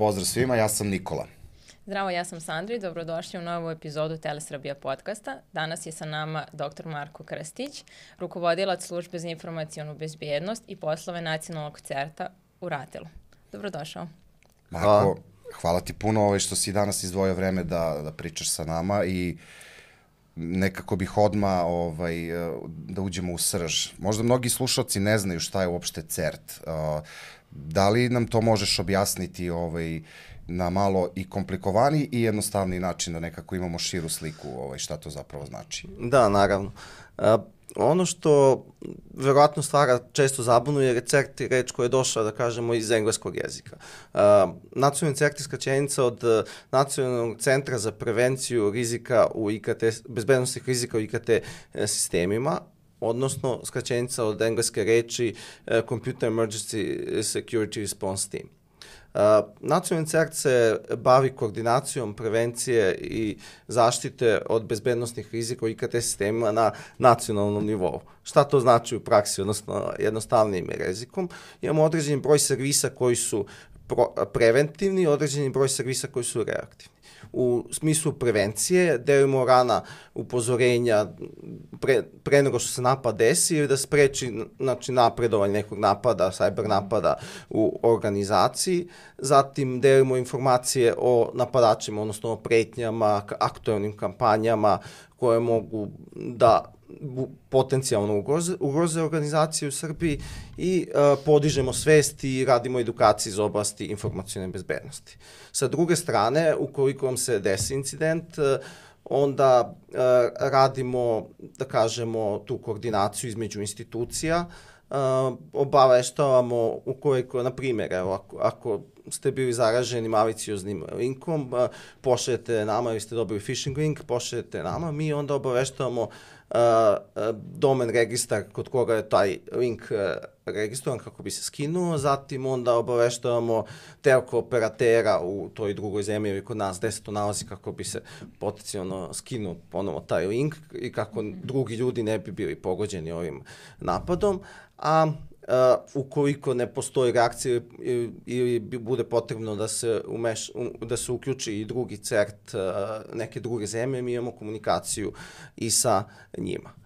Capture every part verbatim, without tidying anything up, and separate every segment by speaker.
Speaker 1: Pozdrav svima, ja sam Nikola.
Speaker 2: Zdravo, ja sam Sandra i dobrodošli u novu epizodu Telesrbija podcasta. Danas je sa nama doktor Marko Krstić, rukovodilac službe za informacionu bezbjednost i poslove nacionalnog certa u Ratelu. Dobrodošao.
Speaker 1: Marko, hvala ti puno ovaj, što si danas izdvojio vreme da, da pričaš sa nama i nekako bih odmah ovaj, da uđemo u srž. Možda mnogi slušalci ne znaju šta je uopšte CERT. Da li nam to možeš objasniti ovaj, na malo i komplikovaniji i jednostavniji način da nekako imamo širu sliku ovaj, šta to zapravo znači?
Speaker 3: Da, naravno. Uh, ono što verovatno stvara često zabunu je CERT reč koja je došla, da kažemo, iz engleskog jezika. Uh, nacionalni CERT je skraćenica od uh, Nacionalnog centra za prevenciju rizika u I K T, bezbednostnih rizika u I K T sistemima, odnosno skraćenica od engleske reči uh, Computer Emergency Security Response Team. Uh, Nacionalni CERT se bavi koordinacijom prevencije i zaštite od bezbednostnih rizika u I K T sistemima na nacionalnom nivou. Šta to znači u praksi, odnosno jednostavnijim jezikom? Imamo određeni broj servisa koji su pro, preventivni i određeni broj servisa koji su reaktivni. U smislu prevencije delimo rana upozorenja pre, pre nego što se napad desi ili da spreči znači, napredovanje nekog napada, cyber napada u organizaciji. Zatim delimo informacije o napadačima, odnosno o pretnjama, aktualnim kampanjama koje mogu da potencijalno ugroze, ugroze organizacije u Srbiji i uh, podižemo svest i radimo edukaciju iz oblasti informacione bezbednosti. Sa druge strane, ukoliko vam se desi incident, uh, onda uh, radimo, da kažemo, tu koordinaciju između institucija, uh, obaveštavamo ukoliko, na primjer, evo, ako, ako ste bili zaraženi malicioznim linkom, uh, pošaljete nama ili ste dobili phishing link, pošaljete nama, mi onda obaveštavamo Uh, uh, domen registar kod koga je taj link uh, registrovan kako bi se skinuo, zatim onda obaveštavamo telko operatera u toj drugoj zemlji ili kod nas gde se to nalazi kako bi se potencijalno skinuo ponovo taj link i kako drugi ljudi ne bi bili pogođeni ovim napadom, a Uh, ukoliko ne postoji reakcija ili, ili bude potrebno da se, umeš, um, da se uključi i drugi CERT uh, neke druge zemlje, mi imamo komunikaciju i sa njima.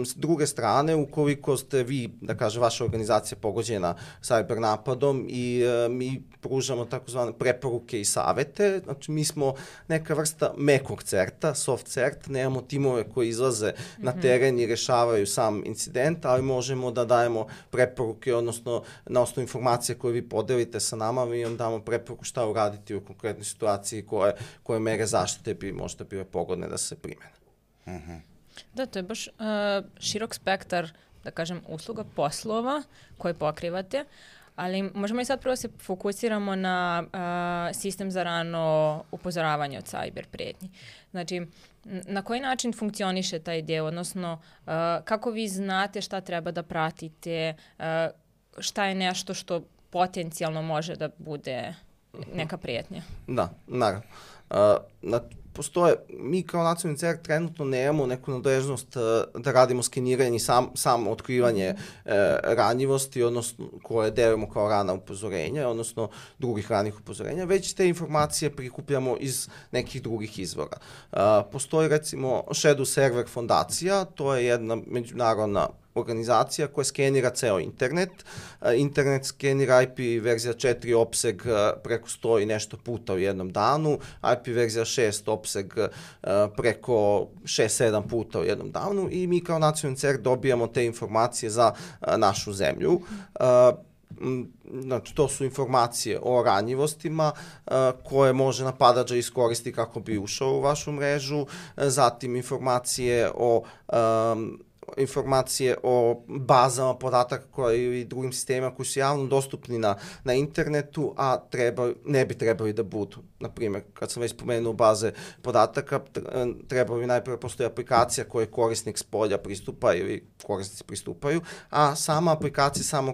Speaker 3: S druge strane, ukoliko ste vi, da kaže, vaša organizacija pogođena cyber napadom i e, mi pružamo takozvane preporuke i savete, znači mi smo neka vrsta mekog CERT-a, soft CERT, nemamo timove koji izlaze mm-hmm. na teren i rešavaju sam incident, ali možemo da dajemo preporuke, odnosno na osnovu informacije koje vi podelite sa nama, mi vam damo preporuku šta uraditi u konkretnoj situaciji koje, koje mere zaštite bi možda bile pogodne da se primene.
Speaker 1: Mhm.
Speaker 2: Da, to je baš uh, širok spektar, da kažem, usluga, poslova koje pokrivate, ali možemo i sad prvo se fokusiramo na uh, sistem za rano upozoravanje od cyber prijetnji. Znači, na koji način funkcioniše taj deo, odnosno uh, kako vi znate šta treba da pratite, uh, šta je nešto što potencijalno može da bude neka prijetnja?
Speaker 3: Da, naravno. Uh, na Postoje, mi kao nacionalni CERT trenutno nemamo neku nadležnost uh, da radimo skeniranje i sam, sam otkrivanje uh, ranjivosti, odnosno koje delimo kao rana upozorenja, odnosno drugih ranih upozorenja, već te informacije prikupljamo iz nekih drugih izvora. Uh, postoji recimo Shadow Server fondacija, to je jedna međunarodna organizacija koja skenira ceo internet. Uh, internet skenira I P verzija četiri opseg uh, preko sto i nešto puta u jednom danu, I P verzija šest opseg uh, preko šest sedam puta u jednom danu i mi kao nacionalni CERT dobijamo te informacije za uh, našu zemlju. Uh, Znači, to su informacije o ranjivostima uh, koje može napadač da iskoristi kako bi ušao u vašu mrežu, uh, zatim informacije o um, informacije o bazama podataka koje i drugim sistemima koji su javno dostupni na, na internetu, a treba, ne bi trebali da budu. Naprimjer, kad sam već spomenuo baze podataka, treba bi najprve postoji aplikacija koje korisnik s polja pristupa ili korisnici pristupaju, a sama aplikacija samo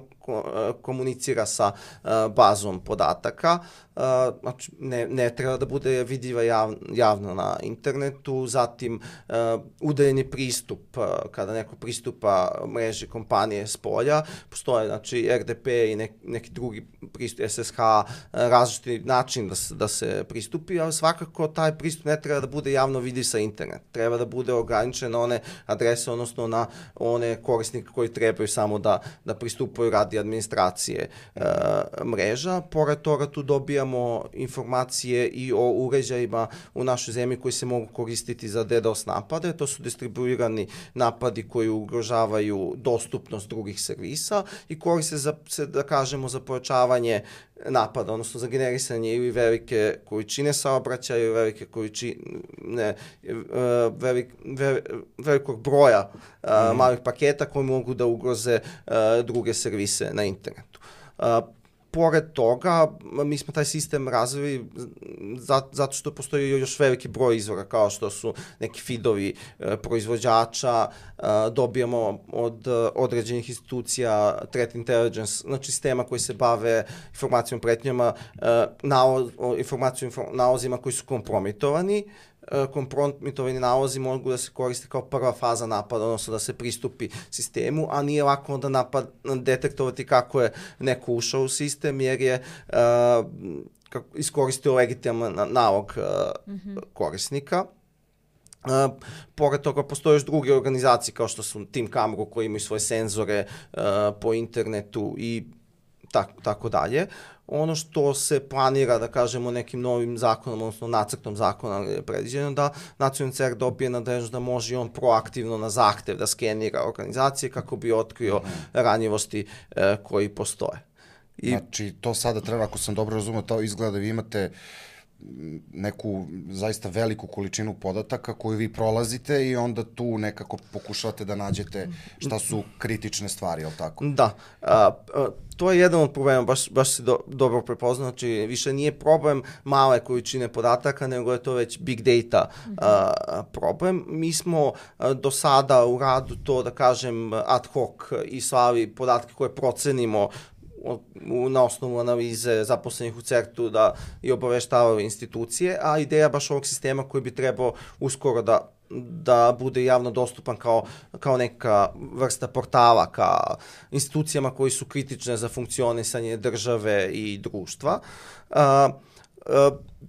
Speaker 3: komunicira sa uh, bazom podataka. Uh, znači, ne, ne treba da bude vidljiva jav, javno na internetu, zatim uh, udaljeni pristup, uh, kada neko pristupa mreži kompanije s polja, postoje znači R D P i nek, neki drugi pristup, S S H, različiti način da se, da se pristupi, ali svakako taj pristup ne treba da bude javno vidi sa internet, treba da bude ograničen na one adrese, odnosno na one korisnike koji trebaju samo da, da pristupaju radi administracije e, mreža. Pored toga tu dobijamo informacije i o uređajima u našoj zemlji koji se mogu koristiti za DDoS napade. To su distribuirani napadi koji ugrožavaju dostupnost drugih servisa i koriste za, da kažemo, za pojačavanje napada, odnosno za generisanje ili velike količine saobraćaja ili velike količine velik, velik, velikog broja mm. malih paketa koji mogu da ugroze druge servise na internetu. Pored toga, mi smo taj sistem razvili zato što postoji još veliki broj izvora, kao što su neki feedovi proizvođača, dobijamo od određenih institucija threat intelligence, znači sistema koji se bave informacijom pretnjama, informacijom nalozima koji su kompromitovani. Kompromitovani nalozi mogu da se koriste kao prva faza napada, odnosno da se pristupi sistemu, a nije lako onda napad detektovati kako je neko ušao u sistem, jer je uh, iskoristio legitiman nalog uh, mm-hmm. korisnika. Uh, pored toga postoje još druge organizacije kao što su Team Camera koji imaju svoje senzore uh, po internetu i tako, tako dalje. Ono što se planira, da kažemo, nekim novim zakonom, odnosno nacrtom zakona je predviđeno da nacionalni C E R dobije nadležnost da može on proaktivno na zahtev da skenira organizacije kako bi otkrio ranjivosti e, koji postoje.
Speaker 1: I... Znači, to sada treba, ako sam dobro razumio, to izgleda da vi imate neku zaista veliku količinu podataka koju vi prolazite i onda tu nekako pokušavate da nađete šta su kritične stvari, je li tako?
Speaker 3: Da. A, a, to je jedan od problema, baš, baš si do, dobro prepoznao, znači više nije problem male količine podataka, nego je to već big data a, problem. Mi smo a, do sada u radu to, da kažem, ad hoc i slali podatke koje procenimo na osnovu analize zaposlenih u C E R T-u da i obaveštavaju institucije, a ideja baš ovog sistema koji bi trebao uskoro da da bude javno dostupan kao, kao neka vrsta portala ka institucijama koji su kritične za funkcionisanje države i društva, a,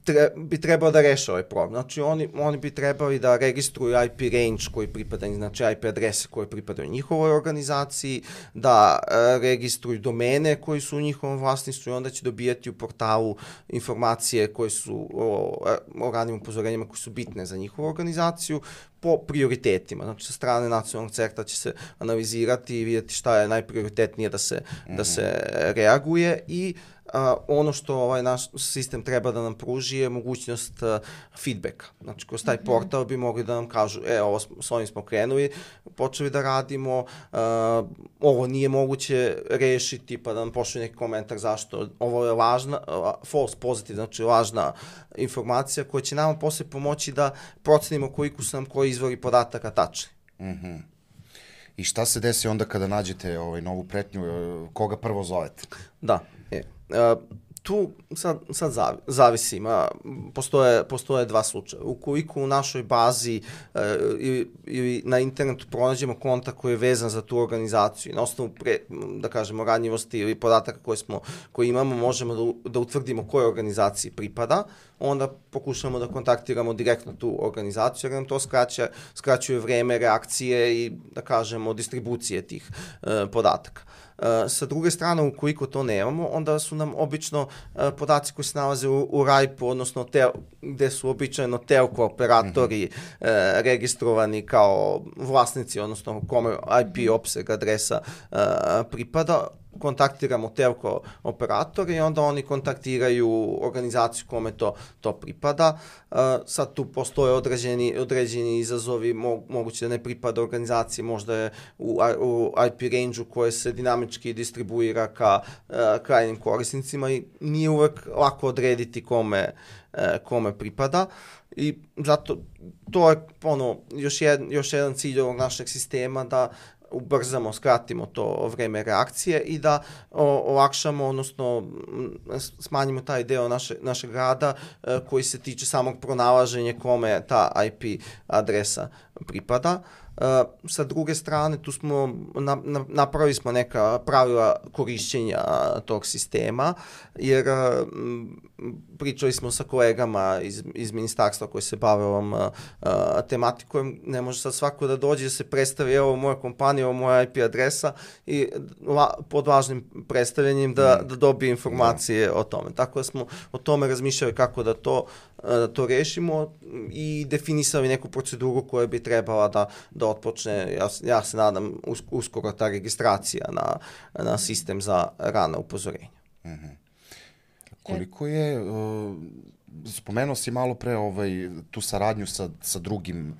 Speaker 3: Tre, bi trebao da reše ovaj problem. Znači, oni, oni bi trebali da registruju I P range koji pripadaju, znači I P adrese koje pripadaju njihovoj organizaciji, da e, registruju domene koji su u njihovom vlasništvu i onda će dobijati u portalu informacije koje su o, o ranim upozorenjima koji su bitne za njihovu organizaciju po prioritetima. Znači, sa strane nacionalnog C E R T-a će se analizirati i vidjeti šta je najprioritetnije da se, mm-hmm. da se reaguje i Uh, ono što ovaj naš sistem treba da nam pruži je mogućnost uh, feedbacka. Znači, kroz taj portal bi mogli da nam kažu, e, ovo s ovim smo krenuli, počeli da radimo, uh, ovo nije moguće rešiti, pa da nam pošli neki komentar zašto. Ovo je lažna, uh, false positive, znači lažna informacija koja će nama posle pomoći da procenimo koliko su nam koji izvori podataka tačni.
Speaker 1: Mm-hmm. I šta se desi onda kada nađete ovaj, novu pretnju, koga prvo zovete?
Speaker 3: Da, je. Uh, tu sad, sad zavi, zavisi, ima, postoje, postoje dva slučaja. Ukoliko u našoj bazi uh, ili, ili na internetu pronađemo kontakt koji je vezan za tu organizaciju i na osnovu, pre, da kažemo, ranjivosti ili podataka koje, smo, koje imamo, možemo da, da utvrdimo kojoj organizaciji pripada, onda pokušamo da kontaktiramo direktno tu organizaciju, jer nam to skraća, skraćuje vreme reakcije i, da kažemo, distribucije tih uh, podataka. Uh, sa druge strane, ukoliko to nemamo, onda su nam obično uh, podaci koji se nalaze u, u R A I P-u, odnosno te, gde su običajno telko operatori mm-hmm. uh, registrovani kao vlasnici, odnosno kome I P opseg adresa uh, pripada, kontaktiramo telko operator i onda oni kontaktiraju organizaciju kome to, to pripada. Uh, sad tu postoje određeni, određeni izazovi, mo, moguće da ne pripada organizaciji, možda je u, u I P range-u koje se dinamički distribuira ka uh, krajnim korisnicima i nije uvek lako odrediti kome, uh, kome pripada. I zato to je ono, još, jed, još jedan cilj ovog našeg sistema da ubrzamo, skratimo to vreme reakcije i da o, olakšamo, odnosno smanjimo taj deo naše, našeg rada e, koji se tiče samog pronalaženja kome ta I P adresa pripada. Uh, sa druge strane, tu smo na, na, napravili smo neka pravila korišćenja tog sistema, jer uh, pričali smo sa kolegama iz, iz ministarstva koji se bave ovom uh, tematikom. Ne može sad svako da dođe da se predstavi, evo moja kompanija, evo moja I P adresa i la, pod važnim predstavljanjem da, da dobije informacije mm. o tome. Tako da smo o tome razmišljali kako da to, da to rešimo i definisali neku proceduru koja bi trebala da, da otpočne, ja, ja se nadam, us, uskoro ta registracija na, na sistem za rana upozorenja.
Speaker 1: Mm-hmm. Koliko je, uh, spomenuo si malo pre ovaj, tu saradnju sa, sa drugim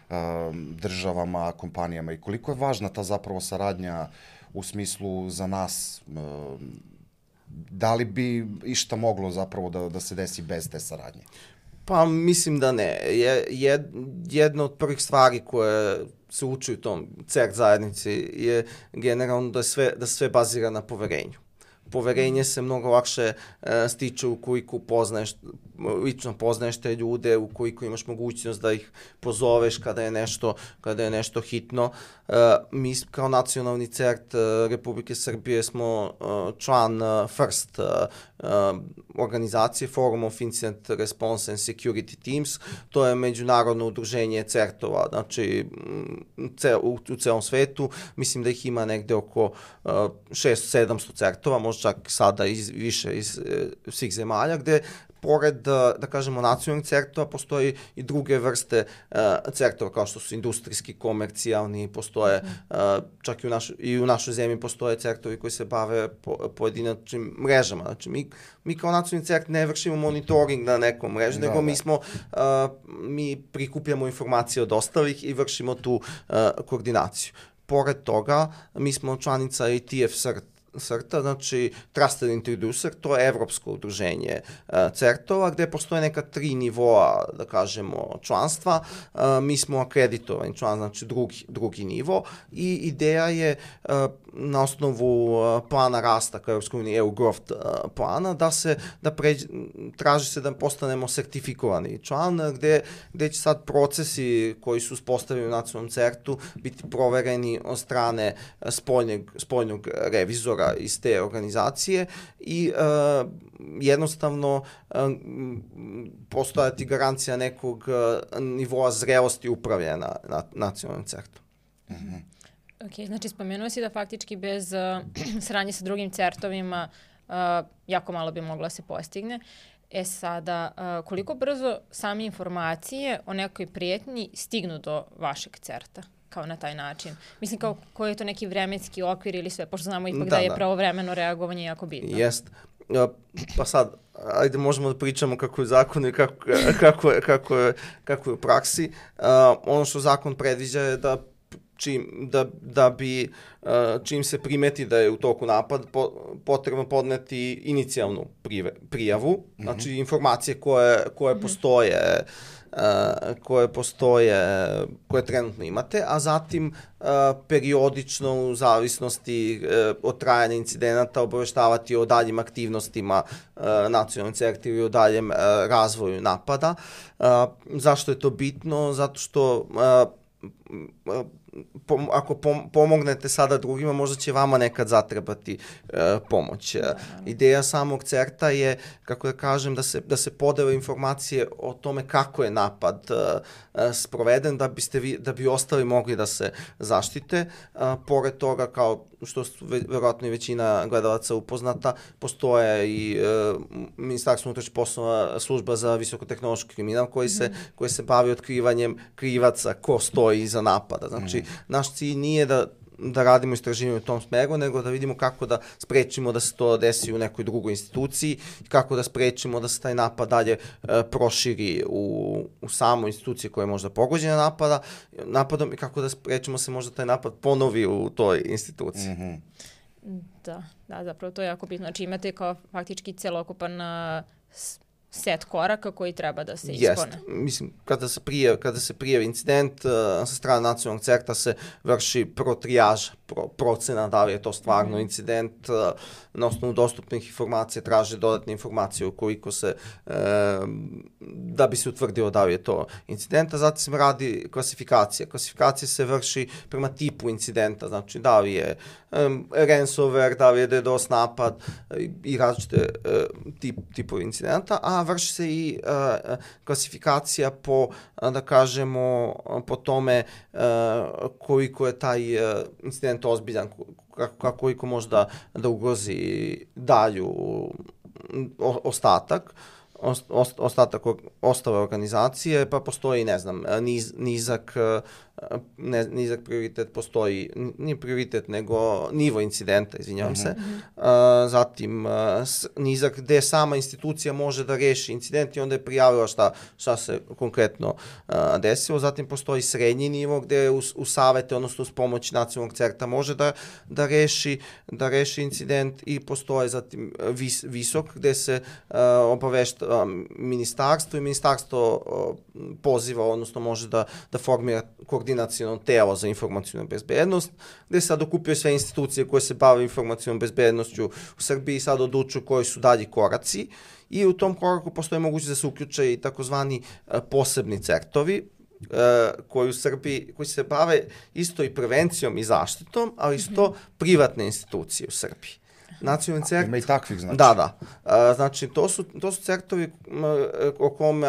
Speaker 1: uh, državama, kompanijama i koliko je važna ta zapravo saradnja u smislu za nas, uh, da li bi išta moglo zapravo da, da se desi bez te saradnje?
Speaker 3: Pa mislim da ne. Je, jed, jedna od prvih stvari koje se uči u tom C E R T zajednici je generalno da, sve, da sve bazira na poverenju. Poverenje se mnogo lakše e, stiče ukoliko poznaješ, lično poznaješ te ljude, ukoliko imaš mogućnost da ih pozoveš kada je nešto, kada je nešto hitno. E, mi kao nacionalni C E R T e, Republike Srbije smo e, član e, FIRST e, organizacije, Forum of Incident Response and Security Teams. To je međunarodno udruženje C E R T-ova, znači ce, u, u celom svetu. Mislim da ih ima negde oko uh, šesto sedamsto C E R T-ova, možda čak sada iz, više iz uh, svih zemalja, gde pored, da kažemo, nacionalnih C E R T-ova, postoji i druge vrste uh, C E R T-ova, kao što su industrijski, komercijalni, postoje, uh, čak i u, naš, i u našoj zemlji postoje C E R T-ovi koji se bave po, pojedinačnim mrežama. Znači, mi, mi kao nacionalni C E R T ne vršimo monitoring na nekom mreži, da, nego da. mi smo, uh, mi prikupljamo informacije od ostalih i vršimo tu uh, koordinaciju. Pored toga, mi smo članica I T F C E R T, C E R T-a, znači Trusted Introducer, to je evropsko udruženje uh, C E R T-ova, gde postoje neka tri nivoa, da kažemo, članstva. Uh, mi smo akreditovani član, znači drugi, drugi nivo i ideja je uh, na osnovu uh, plana rasta kao Evropskoj uniji E U Growth uh, plana da se, da pređe, traži se da postanemo sertifikovani član, gde, gde će sad procesi koji su uspostavljeni u nacionalnom C E R T-u biti provereni od strane uh, spoljnog, spoljnog revizora iz te organizacije i uh, jednostavno uh, postojati garancija nekog uh, nivoa zrelosti upravljanja na, na nacionalnom C E R T-u.
Speaker 1: Mm-hmm.
Speaker 2: Ok, znači spomenuo si da faktički bez uh, saradnje sa drugim C E R T-ovima uh, jako malo bi moglo se postigne. E sada, uh, koliko brzo same informacije o nekoj prijetnji stignu do vašeg C E R T-a? Kao na taj način. Mislim, kao koji je to neki vremenski okvir ili sve, pošto znamo ipak da, da je da. pravovremeno reagovanje jako bitno.
Speaker 3: Jest. Pa sad, ajde možemo da pričamo kako je zakon i kako, kako, je, kako, je, kako je u praksi. Uh, ono što zakon predviđa je da čim, da, da bi uh, čim se primeti da je u toku napad po, potrebno podneti inicijalnu prive, prijavu, mm-hmm. znači informacije koje, koje mm-hmm. postoje Uh, koje postoje, koje trenutno imate, a zatim uh, periodično u zavisnosti uh, od trajanja incidenata obaveštavati o daljim aktivnostima uh, nacionalnog C E R T ili o daljem uh, razvoju napada. Uh, zašto je to bitno? Zato što uh, uh, Pom, ako pom, pomognete sada drugima, možda će vama nekad zatrebati uh, pomoć. Da. Ideja samog C E R T-a je, kako da kažem, da se, da se podele informacije o tome kako je napad uh, sproveden, da biste vi, da bi ostali mogli da se zaštite. Uh, pored toga, kao što su verovatno i većina gledalaca upoznata, postoje i uh, Ministarstvo unutrašnjih poslova, služba za visokotehnološki kriminal koji se, mm. koji se bavi otkrivanjem krivaca ko stoji iza napada. Znači, mm. naš cilj nije da, da radimo istraživanje u tom smeru, nego da vidimo kako da sprečimo da se to desi u nekoj drugoj instituciji, kako da sprečimo da se taj napad dalje e, proširi u, u samu instituciji koja je možda pogođena napada, napadom i kako da sprečimo se možda taj napad ponovi u toj instituciji.
Speaker 1: Mm-hmm.
Speaker 2: Da, da, zapravo to je jako bitno. Znači imate kao faktički celokupan uh, set koraka koji treba da se ispone.
Speaker 3: Jest. Mislim, kada se prijavi, kada se prijavi incident, uh, sa strane nacionalnog CERT-a se vrši prvo trijaža, pro, procena da li je to stvarno mm-hmm. incident, uh, na osnovu dostupnih informacija traže dodatne informacije ukoliko se, uh, da bi se utvrdilo da li je to incident, a zatim se radi klasifikacija. Klasifikacija se vrši prema tipu incidenta, znači da li je um, ransomware, da li je DDoS napad i, i različite uh, tip, tipovi incidenta, a vrši se i uh, klasifikacija po, da kažemo, po tome uh, koliko je taj uh, incident ozbiljan, kako, koliko može da, da ugrozi dalju o, ostatak, ost, ostatak ostale organizacije, pa postoji, ne znam, niz, nizak, ne, nizak prioritet postoji, nije prioritet, nego nivo incidenta, izvinjavam mm-hmm. se. Uh, zatim, uh, nizak gde sama institucija može da reši incident i onda je prijavila šta, šta se konkretno uh, desilo. Zatim postoji srednji nivo gde u, u savete, odnosno uz pomoć nacionalnog CERT-a može da, da, reši, da reši incident i postoje zatim vis, visok gde se uh, obavešta um, ministarstvo i ministarstvo uh, poziva, odnosno može da, da formira koordinaciono telo za informacijnu bezbednost, gde sad okupio sve institucije koje se bave informacijnom bezbednošću u Srbiji i sad odlučuju koji su dalji koraci i u tom koraku postoji mogućnost da se uključe i takozvani posebni CERT-ovi, koji u Srbiji, koji se bave isto i prevencijom i zaštitom, ali isto mm-hmm. privatne institucije u Srbiji. Nacionalni CERT...
Speaker 1: Ima i takvih, znači.
Speaker 3: Da, da. A, znači, to su, to su CERT-ovi o kome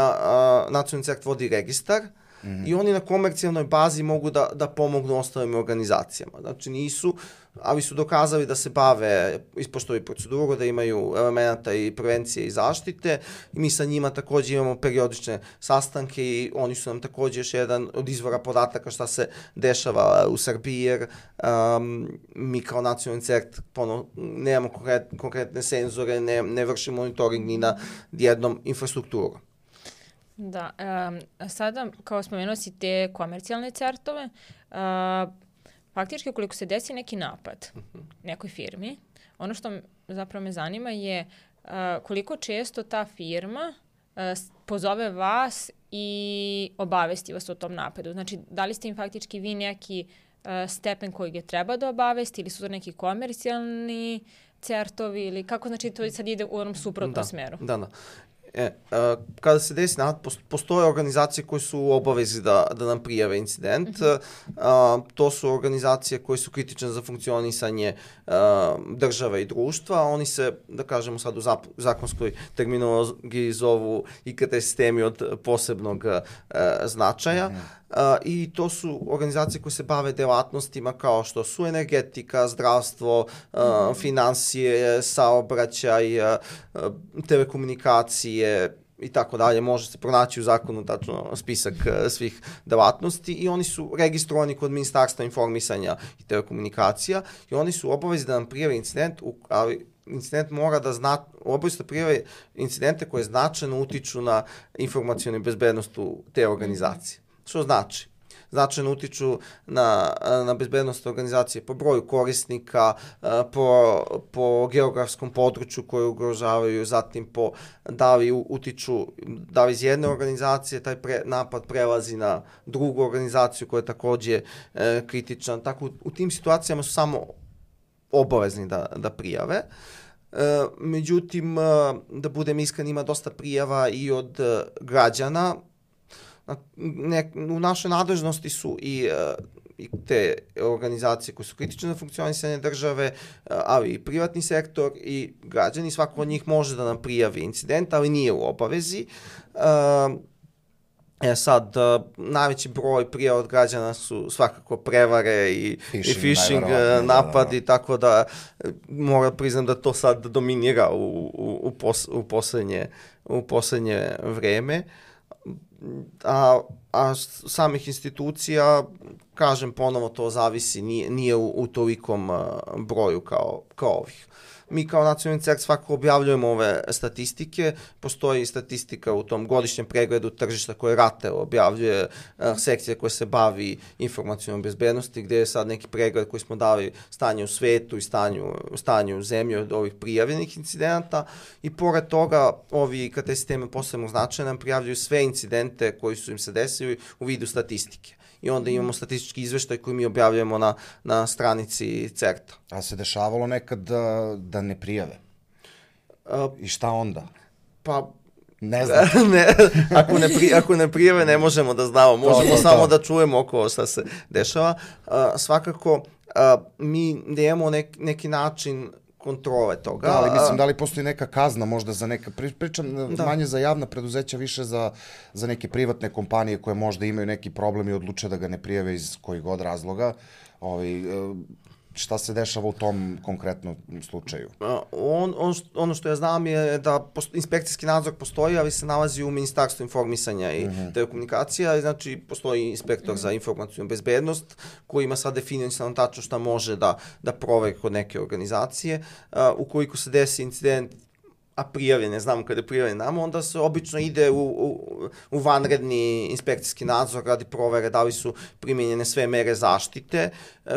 Speaker 3: Nacionalni CERT vodi registar, mm-hmm. i oni na komercijalnoj bazi mogu da, da pomognu ostalim organizacijama. Znači nisu, ali su dokazali da se bave, ispoštovaju proceduru, da imaju elementa i prevencije i zaštite i mi sa njima također imamo periodične sastanke i oni su nam također još jedan od izvora podataka šta se dešava u Srbiji, jer um, mi kao nacionalni CERT pono, nemamo konkret, konkretne senzore, ne, ne vršimo monitoring ni na jednom infrastrukturu.
Speaker 2: Da, um, sada kao spomenuo si te komercijalne CERT-ove, uh, faktički ukoliko se desi neki napad nekoj firmi, ono što zapravo me zanima je uh, koliko često ta firma uh, pozove vas i obavesti vas o tom napadu. Znači, da li ste im faktički vi neki uh, stepen koji je treba da obavesti ili su to neki komercijalni CERT-ovi ili kako, znači to sad ide u onom suprotnom
Speaker 3: da,
Speaker 2: smeru?
Speaker 3: Da, da. E, a, kada se desi napad, postoje organizacije koje su u obavezi da, da nam prijave incident. Mm-hmm. A, to su organizacije koje su kritične za funkcionisanje a, države i društva. Oni se, da kažemo sad u zap, zakonskoj terminologiji zovu I K T sistemi od posebnog a, značaja. Mm-hmm. Uh, i to su organizacije koje se bave delatnostima kao što su energetika, zdravstvo, uh, mm-hmm. finansije, saobraćaj, uh, telekomunikacije i tako dalje. Može se pronaći u zakonu tačno spisak uh, svih delatnosti i oni su registrovani kod Ministarstva informisanja i telekomunikacija i oni su obavezi da nam prijave incident, ali incident mora da zna, obavezno prijave incidente koje značajno utiču na informacijnu bezbednost u te organizacije. Što znači? Značajno utiču na, na bezbednost organizacije po broju korisnika, po, po geografskom području koje ugrožavaju, zatim po da li utiču, da li iz jedne organizacije taj pre, napad prelazi na drugu organizaciju koja je također e, kritična. Tako, u, u tim situacijama su samo obavezni da, da prijave. E, međutim, da budem iskren, ima dosta prijava i od građana. Ne, u našoj nadležnosti su i, uh, i te organizacije koje su kritične za funkcionisanje države, uh, ali i privatni sektor i građani. Svako od njih može da nam prijavi incident, ali nije u obavezi. Uh, e sad, uh, najveći broj prijava od građana su svakako prevare i phishing, i phishing uh, napadi, da, da. Tako da moram priznam da to sad dominira u, u, u, pos, u, poslednje, u poslednje vreme. A, a samih institucija, kažem ponovo, to zavisi, nije, nije u, u tolikom uh, broju kao, kao ovih. mi kao nacionalni CERT svakako objavljujemo ove statistike, postoji statistika u tom godišnjem pregledu tržišta koje RATE objavljuje, sekcija koja se bavi informacionom bezbednosti, gdje je sad neki pregled koji smo dali stanje u svetu i stanju, stanju u zemlji od ovih prijavljenih incidenata i pored toga ovi I K T sisteme posebno značaja nam prijavljuju sve incidente koji su im se desili u vidu statistike. I onda imamo statistički izveštaj koji mi objavljujemo na, na stranici CERT-a.
Speaker 1: A se dešavalo nekad da, da ne prijave?
Speaker 3: A,
Speaker 1: I šta onda?
Speaker 3: Pa...
Speaker 1: Ne znam.
Speaker 3: ne, ako, ne pri, ako ne prijave ne možemo da znamo, možemo to, to, samo to. da čujemo oko šta se dešava. A, svakako, a, mi nemamo nek, neki način kontrole toga.
Speaker 1: Da, ali mislim, da li postoji neka kazna možda za neka, pričam da. manje za javna preduzeća, više za, za neke privatne kompanije koje možda imaju neki problem i odluče da ga ne prijave iz kojih god razloga. Ovi, šta se dešava u tom konkretnom slučaju?
Speaker 3: On, on, ono što ja znam je da posto, inspekcijski nadzor postoji, ali se nalazi u Ministarstvu informisanja i uh-huh. telekomunikacija, znači postoji inspektor uh-huh. za informacijnu bezbednost koji ima sad definisano tačno šta može da, da proveri kod neke organizacije. Uh, ukoliko se desi incident a prijavljen, ne znamo kada je prijavljen nama, onda se obično ide u, u, u vanredni inspekcijski nadzor radi provere da li su primjenjene sve mere zaštite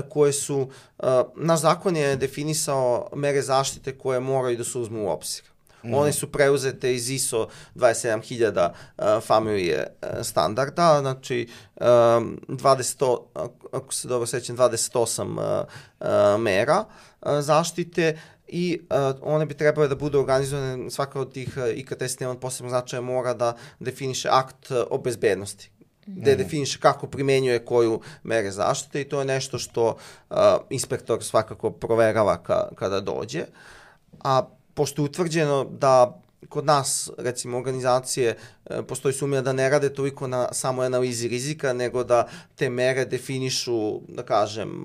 Speaker 3: koje su, uh, naš zakon je definisao mere zaštite koje moraju da se uzmu u obzir. Mm. One su preuzete iz I S O dvadeset sedam hiljada uh, familije uh, standarda, znači um, dvadeset, ako se dobro sećam, dvadeset osam uh, uh, mera uh, zaštite i uh, one bi trebale da budu organizovane, svaka od tih uh, I K T sistema od posebnog značaja mora da definiše akt uh, o bezbednosti, gde mm. definiše kako primenjuje koju mere zaštite i to je nešto što uh, inspektor svakako proverava ka, kada dođe. A pošto je utvrđeno da kod nas, recimo, organizacije, postoji sumnja da ne rade toliko na samo analizi rizika, nego da te mere definišu, da kažem,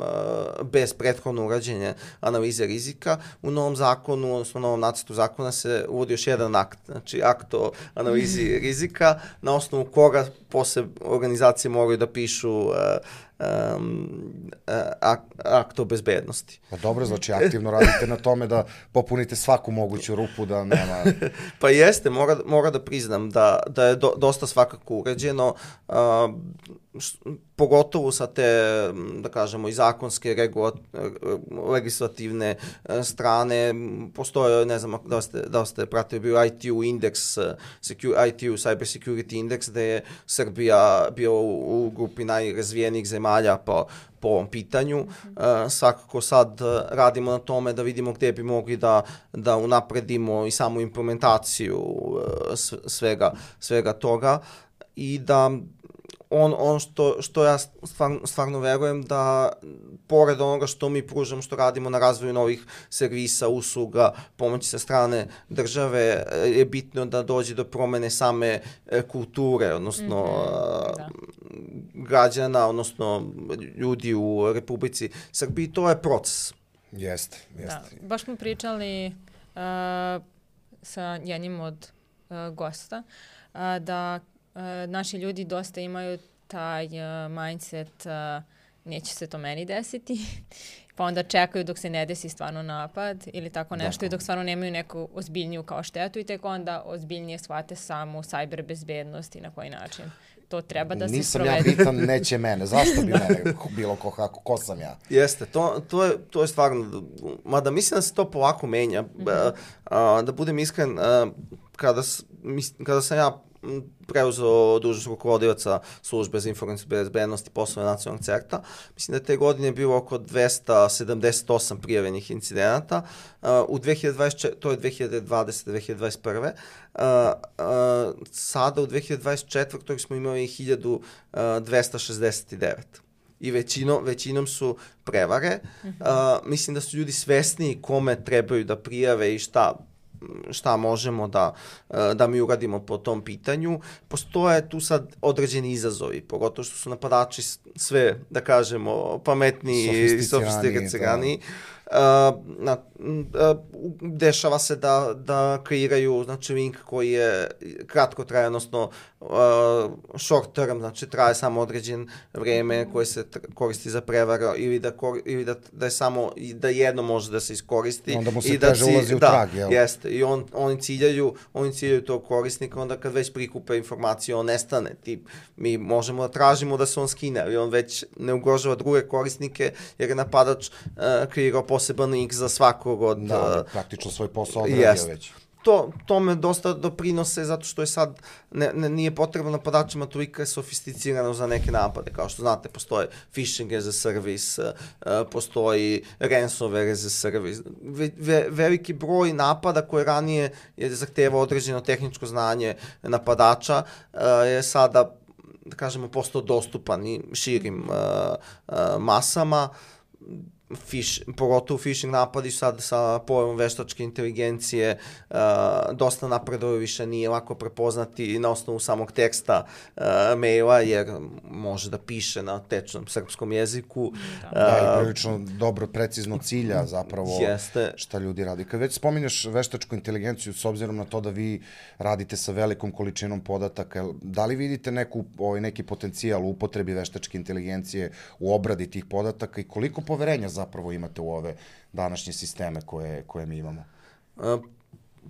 Speaker 3: bez prethodno urađenja analize rizika. U novom zakonu, odnosno u novom nacrtu zakona se uvodi još jedan akt, znači akt o analizi rizika, na osnovu koga posle organizacije moraju da pišu Um, ak, akt o bezbednosti.
Speaker 1: Pa dobro, znači aktivno radite na tome da popunite svaku moguću rupu da nema...
Speaker 3: Pa jeste, mora, mora da priznam da, da je do, dosta svakako uređeno, uh, š, pogotovo sa te, da kažemo, i zakonske regula, legislativne strane. Postoje, ne znam da ste, da ste pratili, bio I T U indeks, I T U Cyber Security Index, gde je Srbija bio u, u grupi najrazvijenijih zemalja po, po ovom pitanju. Uh, svakako sad radimo na tome da vidimo gde bi mogli da, da unapredimo i samu implementaciju uh, svega, svega toga i da on, on što, što ja stvarno, stvarno verujem da pored onoga što mi pružamo, što radimo na razvoju novih servisa, usluga, pomoći sa strane države, je bitno da dođe do promene same kulture, odnosno mm-hmm, građana, odnosno ljudi u Republici Srbiji. To je proces.
Speaker 1: Jeste, jeste.
Speaker 2: Da, baš smo pričali uh, sa jednim od uh, gosta uh, da Uh, naši ljudi dosta imaju taj uh, mindset uh, neće se to meni desiti, pa onda čekaju dok se ne desi stvarno napad ili tako nešto Dako. I dok stvarno nemaju neku ozbiljniju kao štetu i tek onda ozbiljnije shvate samu cyber bezbednost i na koji način to treba da
Speaker 1: Nisam
Speaker 2: se sprovede.
Speaker 1: Nisam ja bitan, neće mene. Zašto bi mene bilo ko, kako, ko sam ja?
Speaker 3: Jeste, to, to, je, to je stvarno, mada mislim da se to polako menja. Mm-hmm. Uh, da budem iskren, uh, kada, kada sam ja preuzeo dužnost rukovodioca službe za informacijsku bezbednost i poslove nacionalnog CERT-a. Mislim da te godine je bilo oko dvesta sedamdeset osam prijavljenih incidenata. Uh, u dve hiljade dvadeset četvrte. To je dve hiljade dvadesete. dve hiljade dvadeset prve. Uh, uh, sada u dve hiljade dvadeset četvrte. smo imali hiljadu dvesta šezdeset devet. I većinom, većinom su prevare. Uh, mislim da su ljudi svesni kome trebaju da prijave i šta šta možemo da, da mi uradimo po tom pitanju. Postoje tu sad određeni izazovi, pogotovo što su napadači sve, da kažemo, pametniji i sofisticirani. na, dešava se da, da kreiraju znači, link koji je kratko traje, odnosno short term, znači traje samo određen vreme koje se koristi za prevaru ili da, ili da, da je samo da jedno može da se iskoristi.
Speaker 1: Onda mu se
Speaker 3: i
Speaker 1: teže
Speaker 3: da
Speaker 1: ulazi u
Speaker 3: da,
Speaker 1: trag, jel?
Speaker 3: Jeste, i on, oni ciljaju, oni ciljaju tog korisnika, onda kad već prikupe informacije, on nestane. Tip, mi možemo da tražimo da se on skine, ali on već ne ugrožava druge korisnike, jer je napadač uh, kreirao poseban link za svakog od...
Speaker 1: Da, da praktično svoj posao odradio već.
Speaker 3: To, tome dosta doprinose zato što je sad, ne, ne, nije potrebno napadačima toliko sofisticirano za neke napade. Kao što znate, postoje phishing as a service, uh, postoji ransomware as a service. Ve, ve, veliki broj napada koje ranije je zahtevao određeno tehničko znanje napadača uh, je sada, da kažemo, postao dostupan i širim uh, uh, masama. Fish, pogotovo phishing napadi sad sa pojavom veštačke inteligencije uh, dosta napreduje, više nije lako prepoznati na osnovu samog teksta uh, maila, jer može da piše na tečnom srpskom jeziku.
Speaker 1: Da, da i prilično dobro, precizno cilja zapravo
Speaker 3: jeste. Šta
Speaker 1: ljudi radi. Kad već spominješ veštačku inteligenciju, s obzirom na to da vi radite sa velikom količinom podataka, da li vidite neku, ovaj, neki potencijal u upotrebi veštačke inteligencije u obradi tih podataka i koliko poverenja zapravo imate u ove današnje sisteme koje, koje mi imamo?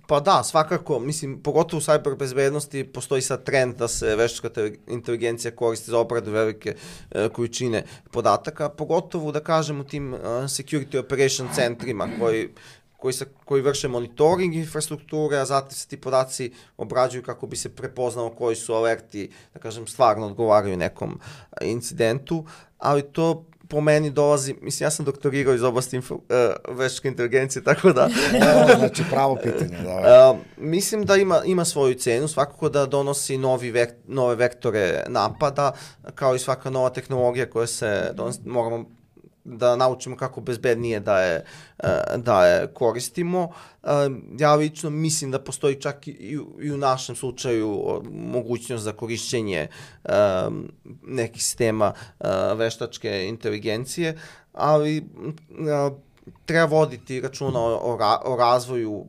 Speaker 3: Pa da, svakako, mislim, pogotovo u cyber bezbednosti postoji sad trend da se veštačka inteligencija koristi za obradu velike e, količine podataka, pogotovo da kažem u tim uh, security operation centrima koji Koji, se, koji vrše monitoring infrastrukture, a zatim se ti podaci obrađuju kako bi se prepoznalo koji su alerti, da kažem, stvarno odgovaraju nekom incidentu, ali to po meni dolazi, mislim, ja sam doktorirao iz oblasti info, uh, veštačke inteligencije, tako da...
Speaker 1: znači, pravo pitanje, da.
Speaker 3: Uh, mislim da ima, ima svoju cenu, svakako da donosi novi vek, nove vektore napada, kao i svaka nova tehnologija koja se donosi, moramo da naučimo kako bezbednije da je, da je koristimo. Ja lično mislim da postoji čak i, i u našem slučaju mogućnost za korišćenje nekih sistema veštačke inteligencije, ali treba voditi računa o, o razvoju,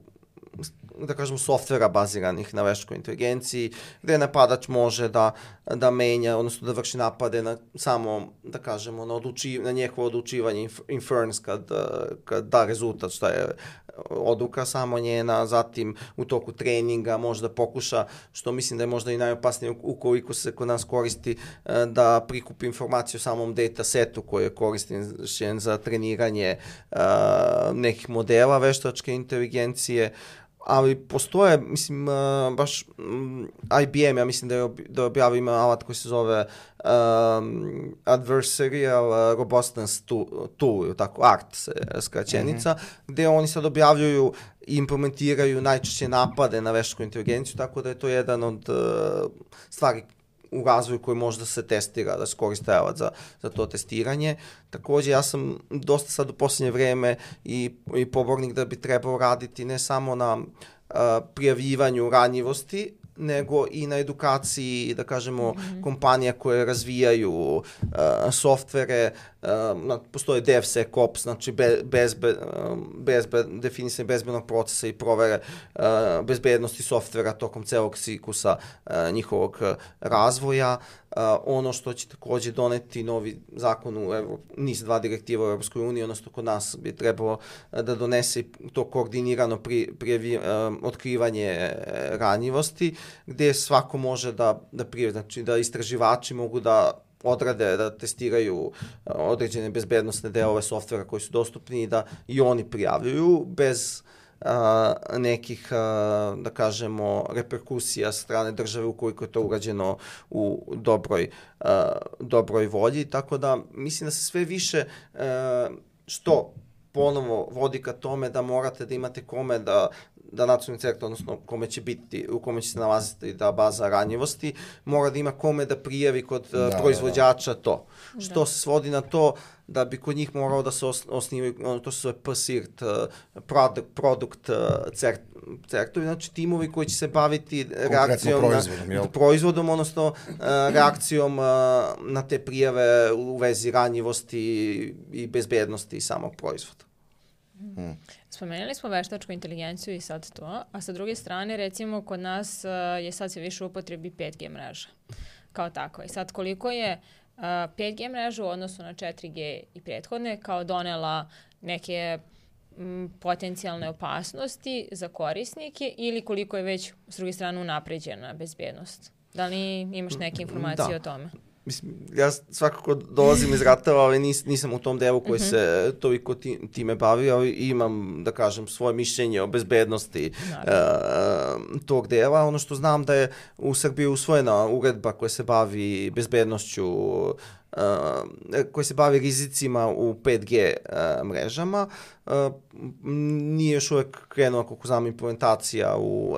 Speaker 3: da kažemo, softvera baziranih na veštačkoj inteligenciji, gde napadač može da, da menja, odnosno da vrši napade na samo, da kažemo, na, odluči, na njehovo odlučivanje inference kad, kad da rezultat šta je odluka samo njena, zatim u toku treninga može da pokuša, što mislim da je možda i najopasnije ukoliko se kod nas koristi, da prikupi informaciju o samom datasetu koji je koristim za treniranje uh, nekih modela veštačke inteligencije, ali postoje, mislim, uh, baš um, I B M, ja mislim da je, ob, da je objavio, ima alat koji se zove um, Adversarial Robustness Tool, tako, A R T se skraćenica, mm-hmm. gde oni sad objavljuju i implementiraju najčešće napade na veštačku inteligenciju, tako da je to jedan od uh, stvari u razvoju koji može da se testira, da se koristi alat za, za to testiranje. Takođe, ja sam dosta sad u posljednje vreme i, i pobornik da bi trebao raditi ne samo na uh, prijavljivanju ranjivosti, nego i na edukaciji, da kažemo, mm-hmm. kompanija koje razvijaju uh, softvere, uh, postoje DevSecOps, znači be, bezbe, bezbe, definisanje bezbednog procesa i provere uh, bezbednosti softvera tokom celog ciklusa uh, njihovog uh, razvoja. Uh, ono što će takođe doneti novi zakon u Evo, N I S dva direktiva u Evropskoj uniji, odnosno kod nas bi trebalo uh, da donese to koordinirano pri, prijavi, uh, otkrivanje uh, ranjivosti, gde svako može da, da prijavi, znači da istraživači mogu da odrade, da testiraju uh, određene bezbednostne delove softvera koji su dostupni i da i oni prijavljuju bez Uh, nekih, uh, da kažemo, reperkusija strane države ukoliko je to urađeno u dobroj, uh, dobroj volji, tako da mislim da se sve više uh, što ponovo vodi ka tome da morate da imate kome da da nacionalni centar, odnosno kome će biti, u kome će se nalaziti ta baza ranjivosti, mora da ima kome da prijavi kod da, uh, proizvođača to. Da. Što se svodi na to da bi kod njih morao da se osnivaju, ono, to se zove P S I R T, product, product cert, certovi, znači timovi koji će se baviti reakcijom
Speaker 1: proizvodom,
Speaker 3: na, proizvodom, odnosno uh, reakcijom uh, na te prijave u vezi ranjivosti i bezbednosti samog proizvoda.
Speaker 2: Mm-hmm. Mm. Spomenuli smo veštačku inteligenciju i sad to, a sa druge strane, recimo, kod nas uh, je sad sve više u upotrebi pet G mreža kao tako. I sad koliko je uh, pet G mreža u odnosu na četiri G i prethodne kao donela neke m, potencijalne opasnosti za korisnike ili koliko je već s druge strane unapređena bezbednost? Da li imaš neke informacije
Speaker 3: da.
Speaker 2: o tome?
Speaker 3: Mislim, ja svakako dolazim iz ratova, ali nis, nisam u tom delu koji uh-huh. se toliko ti, time bavi, ali imam, da kažem, svoje mišljenje o bezbednosti uh, tog dela. Ono što znam da je u Srbiji usvojena uredba koja se bavi bezbednošću, uh, koja se bavi rizicima u pet G uh, mrežama. Uh, nije još uvek krenula, koliko znam, implementacija u,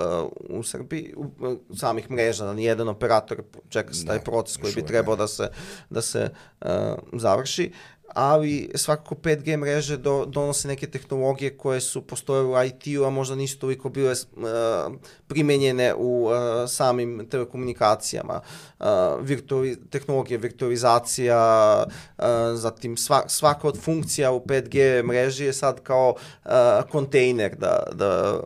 Speaker 3: uh, u Srbiji, u, uh, samih mreža, nijedan operator čeka se taj proces koji bi trebao da se, da se uh, završi, ali svakako pet G mreže do, donose neke tehnologije koje su postojale u I T-u, a možda nisu toliko bile uh, primenjene u uh, samim telekomunikacijama. Uh, virtuali, tehnologije virtualizacija, uh, zatim sva, svaka od funkcija u pet G mreži je sad kao uh, kontejner, da, da,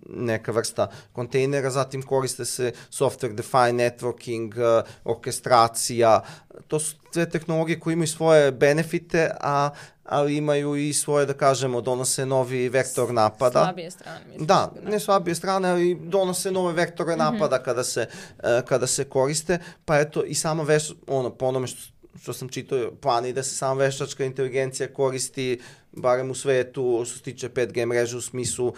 Speaker 3: neka vrsta kontejnera, zatim koriste se software defined networking, uh, orkestracija. To su sve tehnologije koje imaju svoje benefite, a ali imaju i svoje, da kažemo, donose novi vektor napada.
Speaker 2: Slabije strane. Mislim,
Speaker 3: da, ne slabije strane, ali donose nove vektore napada mm-hmm. kada se, uh, kada se koriste, pa eto i sama veš, ono, po onome što, što sam čitao, plani da se sama veštačka inteligencija koristi barem u svetu, što se tiče pet G mreže u smislu uh,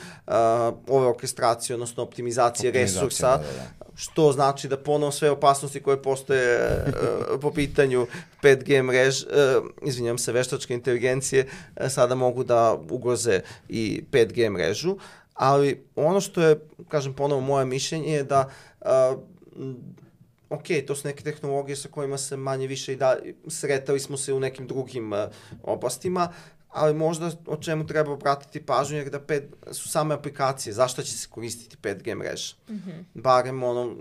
Speaker 3: ove orkestracije, odnosno optimizacije, optimizacije resursa, da, da, da. Što znači da ponovo sve opasnosti koje postoje uh, po pitanju pet G mrež, uh, izvinjam se, veštačke inteligencije, uh, sada mogu da ugroze i pet G mrežu, ali ono što je, kažem ponovo, moje mišljenje je da uh, ok, to su neke tehnologije sa kojima se manje više i da sretali smo se u nekim drugim uh, oblastima, ali možda o čemu treba obratiti pažnju je da pet, su same aplikacije, zašto će se koristiti pet G mreža. Mm-hmm. Barem ono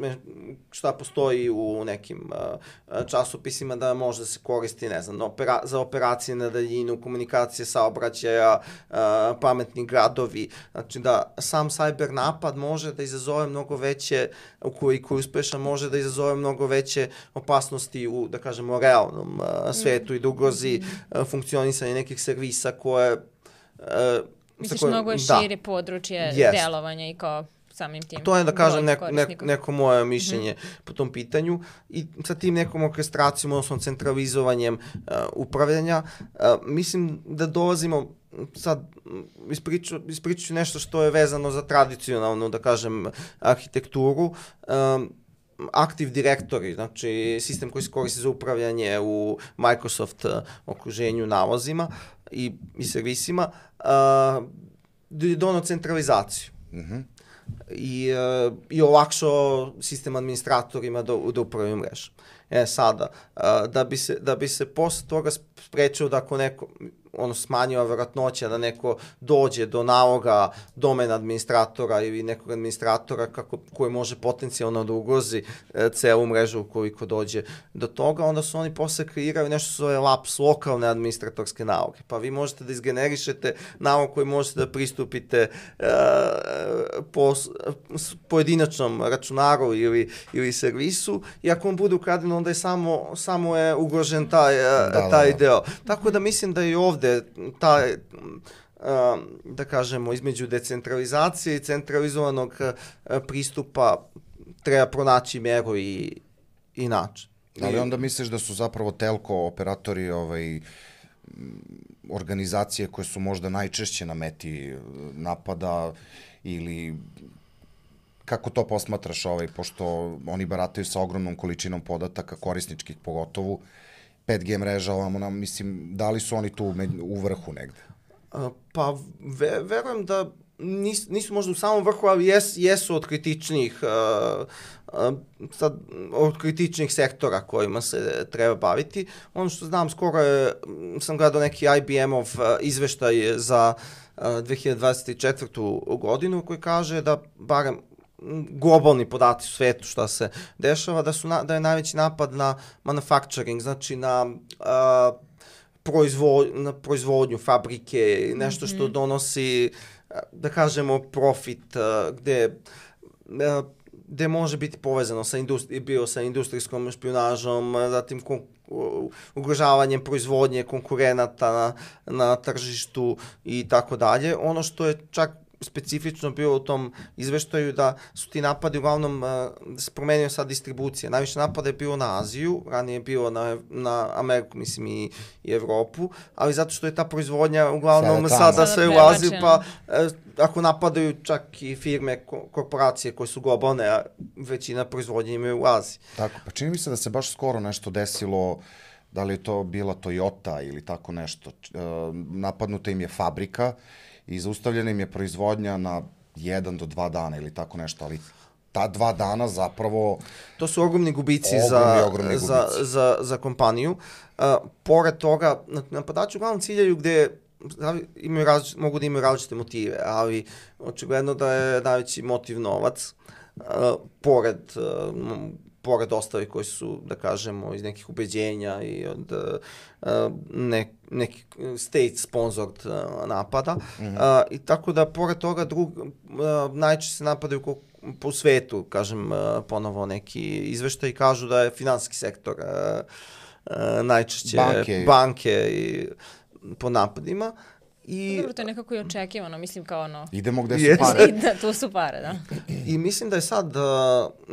Speaker 3: šta postoji u nekim uh, časopisima da može da se koristi, ne znam, opera, za operacije na daljinu, komunikacije saobraćaja, uh, pametni gradovi. Znači da sam cyber napad može da izazove mnogo veće, ukoliko je uspešan, može da izazove mnogo veće opasnosti u, da kažemo, realnom uh, svetu mm-hmm. i da ugrozi uh, funkcionisanje nekih servisa koje... Uh,
Speaker 2: Misliš,
Speaker 3: koje,
Speaker 2: mnogo je
Speaker 3: da,
Speaker 2: šire područje
Speaker 3: yes.
Speaker 2: delovanja i kao samim tim.
Speaker 3: To je, da kažem, neko, neko, neko moje mišljenje mm-hmm. po tom pitanju i sa tim nekom orkestracijom, odnosno centralizovanjem uh, upravljanja, uh, mislim da dolazimo sad, ispriču, ispriču nešto što je vezano za tradicionalnu, da kažem, arhitekturu, um, Active Directory, znači sistem koji se koristi za upravljanje u Microsoft uh, okruženju nalazima i, i servisima, uh, je donao centralizaciju. Mm-hmm. I, uh, i olakšao sistem administratorima da, da upravljaju mrežu. E sada, uh, da bi se, da bi se posle toga sprečio da ako neko, ono smanjila vjerojatnoća da neko dođe do naloga domena administratora ili nekog administratora kako, koji može potencijalno da ugrozi e, celu mrežu ukoliko dođe do toga, onda su oni posle kreirali nešto što zove laps, lokalne administratorske naloge. Pa vi možete da izgenerišete nalog koji možete da pristupite e, po pojedinačnom računaru ili, ili servisu i ako on bude ukraden, onda je samo, samo je ugrožen taj, da, taj da. deo. Tako da mislim da i ovde taj, da kažemo, između decentralizacije i centralizovanog pristupa treba pronaći mjeru i, i način.
Speaker 1: Ali onda misliš da su zapravo telko operatori ovaj, organizacije koje su možda najčešće na meti napada ili kako to posmatraš, ovaj, pošto oni barataju sa ogromnom količinom podataka, korisničkih pogotovo, pet G mreža, ovamo nam, mislim, da li su oni tu u vrhu negde?
Speaker 3: Uh, pa, ve, verujem da nis, nisu možda u samom vrhu, ali jes, jesu od kritičnih, uh, uh, sad, od kritičnih sektora kojima se treba baviti. Ono što znam, skoro je, sam gledao neki I B M-ov uh, izveštaj za uh, dve hiljade dvadeset četvrtu godinu koji kaže da barem globalni podaci u svetu šta se dešava, da, su na, da je najveći napad na manufacturing, znači na uh, proizvo, na proizvodnju, fabrike, nešto što donosi, da kažemo, profit, gde, gde može biti povezano sa, industri, bio sa industrijskom špionažom, zatim kon, ugrožavanjem proizvodnje konkurenata na, na tržištu i tako dalje. Ono što je čak specifično bilo u tom izveštaju da su ti napadi uglavnom, da se promenio sad distribucija. Najviše napada je bilo na Aziju, ranije je bilo na, na Ameriku, mislim, i, i Evropu, ali zato što je ta proizvodnja uglavnom sada, sada sve u Aziju, pa ako napadaju čak i firme, korporacije koje su globalne, a većina proizvodnje imaju u Aziji.
Speaker 1: Tako, pa čini mi se da se baš skoro nešto desilo, da li je to bila Toyota ili tako nešto. Napadnuta im je fabrika i zaustavljena im je proizvodnja na jedan do dva dana ili tako nešto, ali ta dva dana zapravo...
Speaker 3: To su ogromni gubici, ogromni, za, ogromni gubici. Za, za, za kompaniju. Uh, pored toga, napadači uglavnom ciljaju gde imaju različite, mogu da imaju različite motive, ali očigledno da je najveći motiv novac, uh, pored... Uh, pored ostali koji su, da kažemo, iz nekih ubeđenja i od uh, ne, nekih state sponsored uh, napada. Mm-hmm. Uh, I tako da, pored toga, drug, uh, najčešće se napadaju ko, po svetu, kažem, uh, ponovo neki izveštaj i kažu da je finansijski sektor uh, uh, najčešće
Speaker 1: banke,
Speaker 3: banke i, po napadima. I,
Speaker 2: dobro, to je nekako i očekivano, mislim kao ono...
Speaker 1: Idemo gde su yes. pare.
Speaker 2: Da, tu su pare, da.
Speaker 3: I mislim da je sad, uh,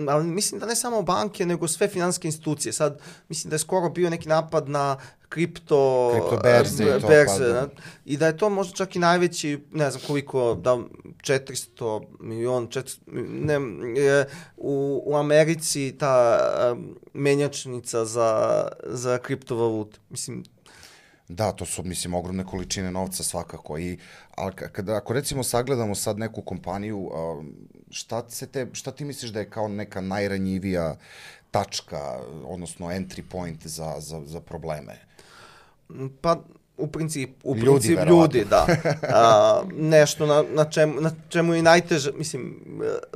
Speaker 3: ali mislim da ne samo banke, nego sve finansijske institucije. Sad, mislim da je skoro bio neki napad na kripto...
Speaker 1: Kripto berze i to.
Speaker 3: Berze, pa, da. I da je to možda čak i najveći, ne znam koliko, da četiristo miliona, četiristo, ne, je, u, u Americi ta um, menjačnica za, za kriptovalute. Mislim,
Speaker 1: da, to su, mislim, ogromne količine novca svakako. I, ali kada, ako recimo sagledamo sad neku kompaniju, šta, se te, šta ti misliš da je kao neka najranjivija tačka, odnosno entry point za, za, za probleme?
Speaker 3: Pa, u principu, u
Speaker 1: ljudi,
Speaker 3: principu ljudi, da. A, nešto na, na, čemu, na čemu je najteže, mislim,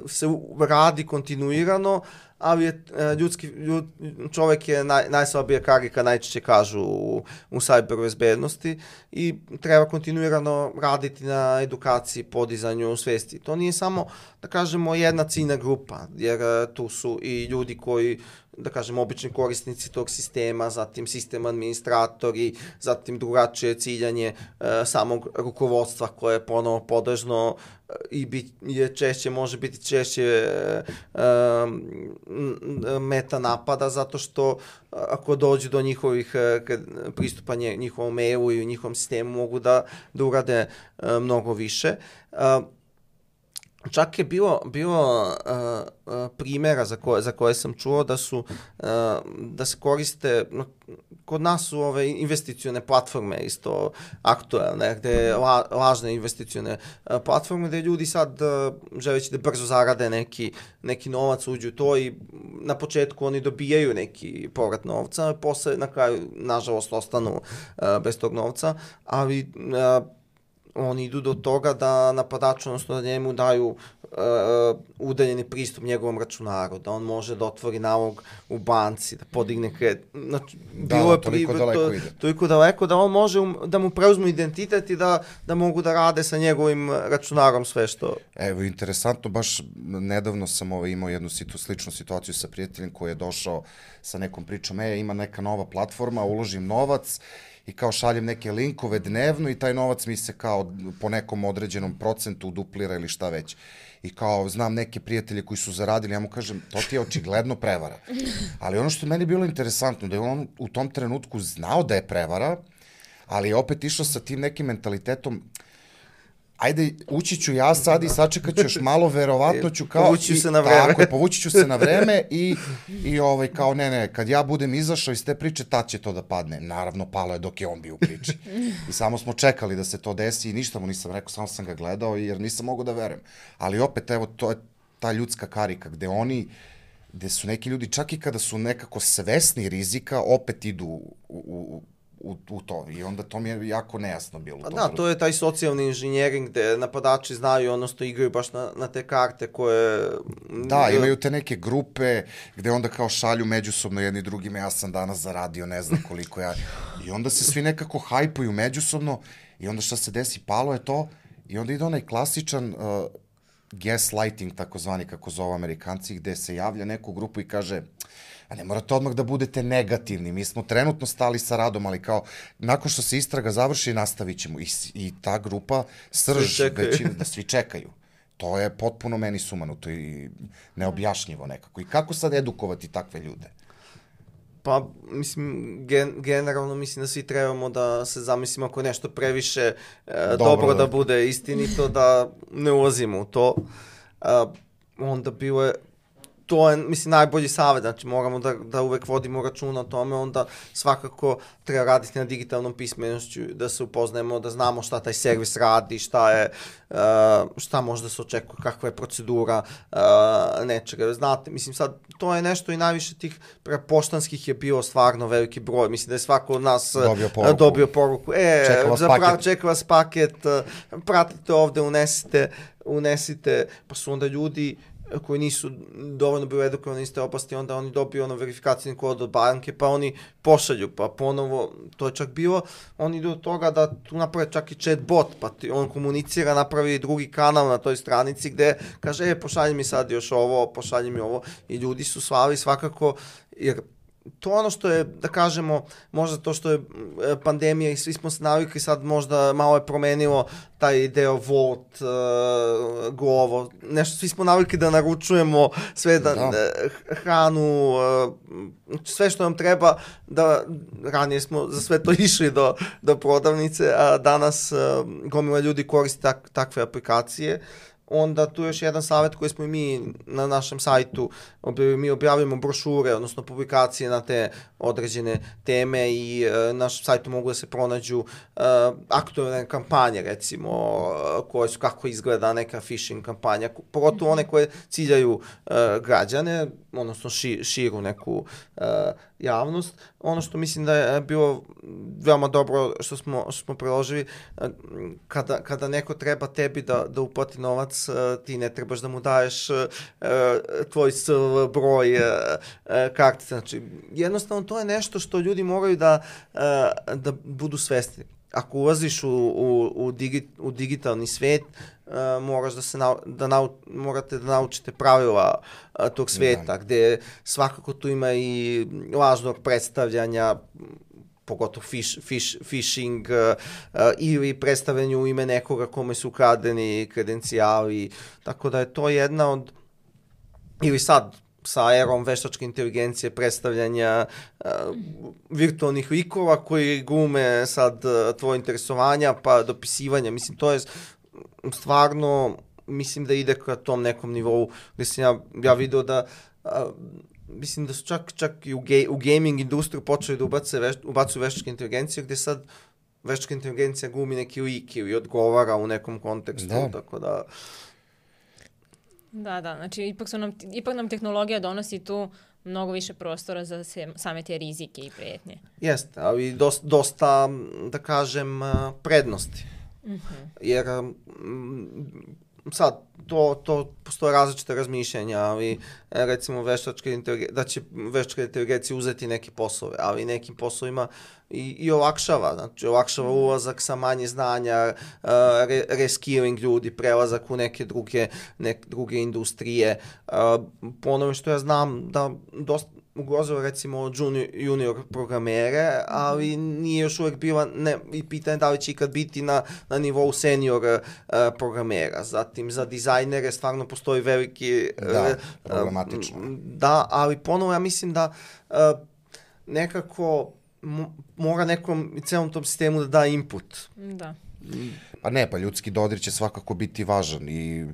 Speaker 3: se radi kontinuirano, ali je ljudski, ljud, čovek je naj, najslabija karika, najčešće kažu u, u cyber bezbednosti i treba kontinuirano raditi na edukaciji, podizanju svesti. To nije samo, da kažemo, jedna ciljna grupa, jer tu su i ljudi koji, da kažem, obični korisnici tog sistema, zatim sistem administratori, zatim drugačije ciljanje e, samog rukovodstva koje je ponovo podržno i bit, je češće, može biti češće e, e, meta napada, zato što ako dođu do njihovih e, pristupanja njihovom mailu i njihovom sistemu mogu da, da urade e, mnogo više. E, Čak je bilo, bilo uh, uh, primjera za koje, za koje sam čuo da su, uh, da se koriste, no, kod nas su ove investicione platforme isto aktuelne, gde la, lažne investicione uh, platforme, gde ljudi sad uh, želeći da brzo zarade neki, neki novac, uđu u to i na početku oni dobijaju neki povrat novca, a posle na kraju, nažalost, ostanu uh, bez tog novca, ali uh, oni idu do toga da napadaču, odnosno da njemu daju uh, udaljeni pristup njegovom računaru, da on može da otvori nalog u banci, da podigne kredit. Znači,
Speaker 1: da, bilo je toliko pri, daleko to, ide.
Speaker 3: Toliko daleko da on može um, da mu preuzmu identitet i da, da mogu da rade sa njegovim računarom sve što...
Speaker 1: Evo, interesantno, baš nedavno sam ovaj, imao jednu situ, sličnu situaciju sa prijateljem koji je došao sa nekom pričom, e, ima neka nova platforma, uložim novac, i kao šaljem neke linkove dnevno i taj novac mi se kao po nekom određenom procentu duplira ili šta već. I kao znam neke prijatelje koji su zaradili, ja mu kažem, to ti je očigledno prevara. Ali ono što je meni bilo interesantno, da je on u tom trenutku znao da je prevara, ali je opet išao sa tim nekim mentalitetom, ajde, ući ću ja sad i sačekat ću još malo, verovatno ću kao...
Speaker 3: Povući ću se na vreme.
Speaker 1: Tako je, povući ću se na vreme i, i ovaj, kao ne, ne, kad ja budem izašao iz te priče, tad će to da padne. Naravno, palo je dok je on bio u priči. I samo smo čekali da se to desi i ništa mu nisam rekao, samo sam ga gledao jer nisam mogao da verujem. Ali opet, evo, to je ta ljudska karika gde oni, gde su neki ljudi, čak i kada su nekako svesni rizika, opet idu u, u, u, u to. I onda to mi je jako nejasno bilo.
Speaker 3: A da, to je taj socijalni inženjering gde napadači znaju, odnosno igraju baš na, na te karte koje...
Speaker 1: Da, imaju te neke grupe gde onda kao šalju međusobno jedni drugima, ja sam danas zaradio ne znam koliko ja... I onda se svi nekako hajpuju međusobno i onda šta se desi, palo je to i onda ide onaj klasičan uh, gaslighting, takozvani, kako zove Amerikanci, gde se javlja neku grupu i kaže... A ne morate odmah da budete negativni, mi smo trenutno stali sa radom, ali kao, nakon što se istraga završi, nastavit ćemo. I, i ta grupa, srž, većina, da svi čekaju. To je potpuno meni sumanuto i neobjašnjivo nekako. I kako sad edukovati takve ljude?
Speaker 3: Pa, mislim, gen, generalno mislim da svi trebamo da se zamislimo ako je nešto previše e, dobro, dobro da. da bude istinito, da ne ulazimo u to. E, onda bilo je to je, mislim, najbolji savjet, znači moramo da, da uvek vodimo računa o tome, onda svakako treba raditi na digitalnom pismenošću, da se upoznajemo, da znamo šta taj servis radi, šta je, uh, šta može da se očekuje, kakva je procedura uh, nečega. Znate, mislim, sad, to je nešto i najviše tih poštanskih je bilo stvarno veliki broj, mislim da je svako od nas dobio poruku, dobio poruku. E,
Speaker 1: čeka vas
Speaker 3: zapravo,
Speaker 1: paket,
Speaker 3: čeka vas paket uh, pratite ovde, unesite, unesite, pa su onda ljudi koji nisu dovoljno bili edukovani iz te oblasti, onda oni dobiju ono verifikacijni kod od banke, pa oni pošalju, pa ponovo, to je čak bilo, oni idu od toga da tu naprave čak i chat bot, pa ti, on komunicira, napravi drugi kanal na toj stranici gde kaže, e, pošalji mi sad još ovo, pošalji mi ovo, i ljudi su slali svakako, jer to ono što je, da kažemo, možda to što je pandemija i svi smo se navikli, sad možda malo je promenilo taj deo Volt, uh, Glovo, nešto, svi smo navikli da naručujemo sve, da, da. hranu, uh, sve što nam treba, da ranije smo za sve to išli do, do prodavnice, a danas uh, gomila ljudi koristi tak, takve aplikacije. Onda tu je još jedan savjet koji smo i mi na našem sajtu, mi objavljamo brošure, odnosno publikacije na te određene teme i e, na našem sajtu mogu da se pronađu e, aktualne kampanje, recimo, koje su, kako izgleda neka phishing kampanja, pogotovo one koje ciljaju e, građane, odnosno ši, širu neku e, javnost. Ono što mislim da je bilo veoma dobro što smo, što smo preložili, kada, kada neko treba tebi da, da uplati novac, ti ne trebaš da mu daješ uh, tvoj S V broj uh, kartice. Znači, jednostavno to je nešto što ljudi moraju da, uh, da budu svesni. Ako ulaziš u, u, u, digi, u digitalni svet, uh, moraš da se nau, da nau, morate da naučite pravila uh, tog sveta, da. Gde svakako tu ima i lažnog predstavljanja, pogotovo fish, fish, phishing uh, uh, ili predstavljanju u ime nekoga kome su ukradeni kredencijali, tako da je to jedna od, ili sad sa erom veštačke inteligencije predstavljanja uh, virtualnih likova koji glume sad uh, tvoje interesovanja pa dopisivanja, mislim to je stvarno, mislim da ide ka tom nekom nivou gde sam ja, ja video da uh, mislim da su čak, čak i u, ge, u gaming industriju počeli da ubace veš, ubacuju veštačke inteligencije, gde sad veštačka inteligencija glumi neki lik ili odgovara u nekom kontekstu, da. Tako da...
Speaker 2: Da, da, znači ipak, su nam, ipak nam tehnologija donosi tu mnogo više prostora za se, same te rizike i prijetnje.
Speaker 3: Jeste, ali dosta, dosta da kažem, prednosti.
Speaker 2: Mm-hmm.
Speaker 3: Jer sad, to, to postoje različite razmišljanja, ali recimo veštačka inteligencija, da će veštačka inteligencija uzeti neke poslove, ali nekim poslovima i, i olakšava, znači olakšava ulazak sa manje znanja, uh, re, reskilling ljudi, prelazak u neke druge, neke druge industrije. Uh, po onome što ja znam da dosta ugrozilo recimo junior, junior programere, ali nije još uvek bila, ne, i pitanje da li će ikad biti na, na nivou senior uh, programera. Zatim za dizajnere stvarno postoji veliki...
Speaker 1: Da,
Speaker 3: uh,
Speaker 1: problematično.
Speaker 3: Uh, da, ali ponovo ja mislim da uh, nekako mora nekom celom tom sistemu da da input.
Speaker 2: Da.
Speaker 1: Pa ne, pa ljudski dodir će svakako biti važan i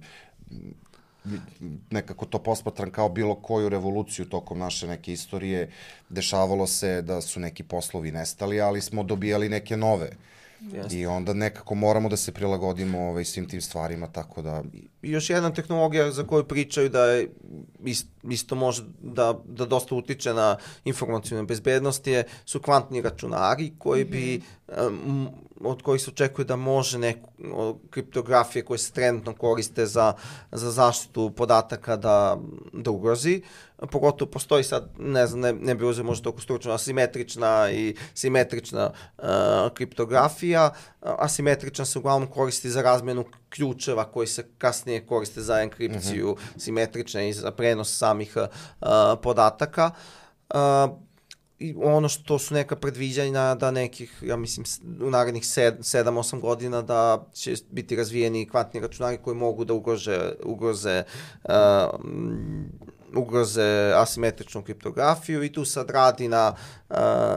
Speaker 1: nekako to posmatram kao bilo koju revoluciju tokom naše neke istorije. Dešavalo se da su neki poslovi nestali, ali smo dobijali neke nove
Speaker 3: Jeste.
Speaker 1: I onda nekako moramo da se prilagodimo ovaj, svim tim stvarima, tako da...
Speaker 3: I još jedna tehnologija za koju pričaju da je isto može da, da dosta utiče na informacijnu bezbednost je, su kvantni računari koji bi, um, od kojih se očekuje da može neku kriptografije koje se trenutno koriste za, za zaštitu podataka da, da ugrozi. Pogotovo postoji sad, ne znam, ne, ne bi uzeo možda toliko stručno, asimetrična i simetrična uh, kriptografija. Asimetrična se uglavnom koristi za razmjenu ključeva koji se kasnije koriste za enkripciju, mm-hmm. simetrične i za prenos samih uh, podataka. Uh, I ono što su neka predviđanja da nekih, ja mislim, u narednih sedam osam godina da će biti razvijeni kvantni računari koji mogu da ugrože, ugroze uh, ugroze asimetričnu kriptografiju i tu sad radi na,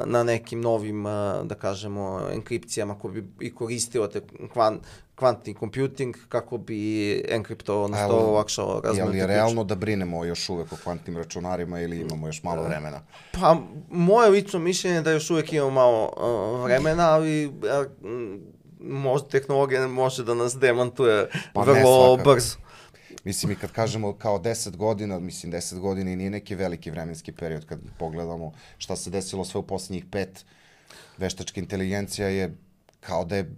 Speaker 3: na nekim novim, da kažemo, enkripcijama koje bi i koristilo te kvant, kvantni computing kako bi enkriptovao, odnosno olakšao razmenu.
Speaker 1: Je li je realno da brinemo još uvek o kvantnim računarima ili imamo još malo vremena?
Speaker 3: Pa, moje lično mišljenje je da još uvek imamo malo uh, vremena, ali uh, možda tehnologija može da nas demantuje pa vrlo brzo.
Speaker 1: Mislim, i kad kažemo kao deset godina, mislim, deset godina i nije neki veliki vremenski period kad pogledamo šta se desilo sve u posljednjih pet. Veštačka inteligencija je kao da je,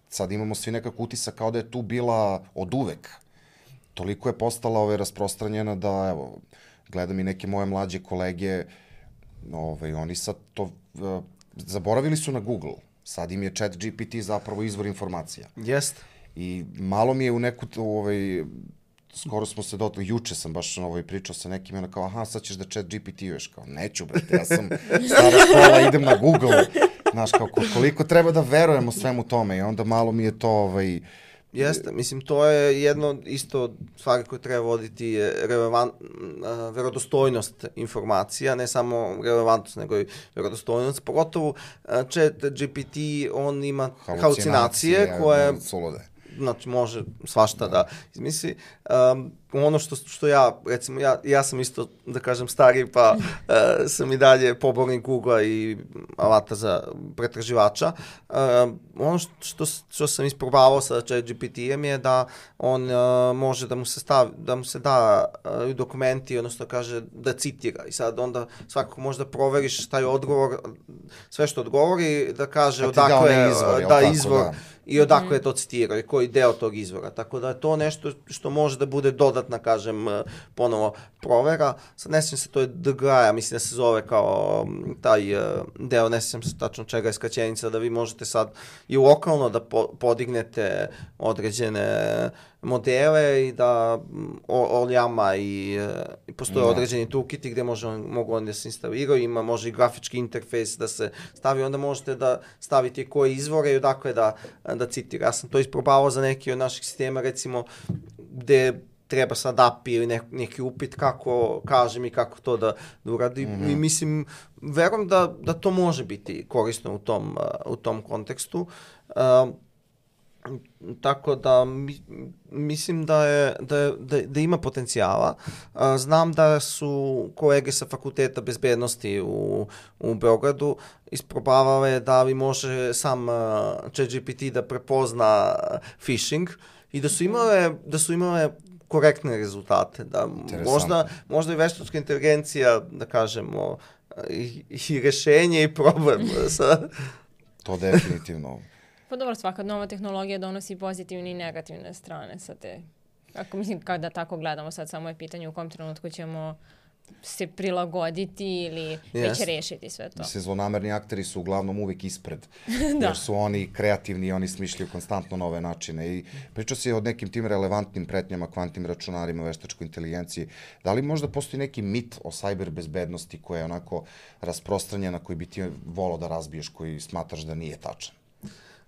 Speaker 1: sad imamo svi nekako utisak kao da je tu bila od uvek. Toliko je postala ove, rasprostranjena da, evo, gledam i neke moje mlađe kolege, ove, oni sad to, uh, zaboravili su na Google. Sad im je Chat G P T zapravo izvor informacija.
Speaker 3: Jeste.
Speaker 1: I malo mi je u neku, ovaj, skoro smo se dotakli, juče sam baš ovaj, pričao sa nekim, ono kao, aha, sad ćeš da Chat G P T-uješ, kao, neću, brate, ja sam stara škola, idem na Google, znaš, kao, koliko treba da verujemo svemu tome i onda malo mi je to, ovaj...
Speaker 3: Jeste, mislim, to je jedno isto stvari koje treba voditi je relevant, uh, verodostojnost informacija, ne samo relevantnost, nego i verodostojnost. Pogotovo uh, Chat G P T, on ima halucinacije koje...
Speaker 1: Sulude.
Speaker 3: Znači, može svašta da izmisli. Um, ono što, što ja, recimo, ja, ja sam isto, da kažem, stariji, pa uh, sam i dalje pobornik Google-a i alata za pretraživača. Uh, ono što, što sam isprobavao sa Chat G P T-em je da on uh, može da mu se stavi, da mu se da uh, dokumenti, odnosno kaže da citira. I sad onda svakako možda proveriš taj odgovor, sve što odgovori, da kaže odakle
Speaker 1: izvor,
Speaker 3: da izvor da. I odakle mm. je to citirao i koji deo tog izvora. Tako da je to nešto što može da bude dodatna, kažem, ponovo provera. Sad ne sjećam se, to je D G A, mislim da se zove kao taj deo, ne sjećam se tačno čega je skraćenica, da vi možete sad i lokalno da po, podignete određene modele i da oljama i, i postoje no. određeni toolkiti gde može, mogu oni da se instaliraju, ima može i grafički interfejs da se stavi, onda možete da stavite koje izvore i odakle da, da citira. Ja sam to isprobavao za neki od naših sistema, recimo, gde treba sad A P I ili ne, neki upit kako kažem i kako to da, da uradi. Mm-hmm. I mislim, verujem da, da to može biti korisno u tom, uh, u tom kontekstu. Uh, tako da mi, mislim da, je, da, je, da, da ima potencijala. Uh, znam da su kolege sa Fakulteta bezbednosti u, u Beogradu isprobavale da li može sam uh, Chat G P T da prepozna phishing i da su imale, da su imale korektne rezultate. Da možda, možda i veštačka inteligencija, da kažemo, i, i rešenje i problem. Sa...
Speaker 1: To definitivno.
Speaker 2: Pa dobro, svaka nova tehnologija donosi pozitivne i negativne strane sa te. Ako mislim, kada tako gledamo, sad samo je pitanje u kom trenutku ćemo se prilagoditi ili yes. već rešiti sve to.
Speaker 1: Mislim, zlonamerni akteri su uglavnom uvijek ispred, da. Jer su oni kreativni i oni smišljaju konstantno nove načine. I pričao se o nekim tim relevantnim pretnjama, kvantnim računarima, veštačkoj inteligenciji. Da li možda postoji neki mit o sajber bezbednosti koja je onako rasprostranjena, koji bi ti volao da razbiješ, koji smatraš da nije tačan?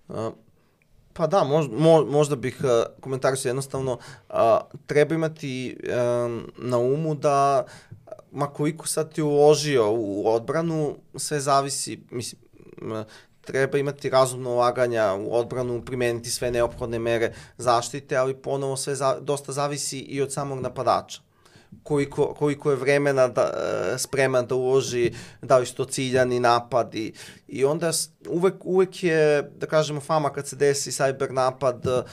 Speaker 3: Uh. Pa da, mož, mo, možda bih uh, komentarisao jednostavno, uh, treba imati um, na umu da ma koliko sad ti uložio u odbranu, sve zavisi, mislim, uh, treba imati razumno ulaganja u odbranu, primeniti sve neophodne mere zaštite, ali ponovo sve za, dosta zavisi i od samog napadača. koliko, koliko je vremena da, uh, spreman da uloži, da li su to ciljani napadi. I onda uvek, uvek je, da kažemo, fama kad se desi cyber napad, uh,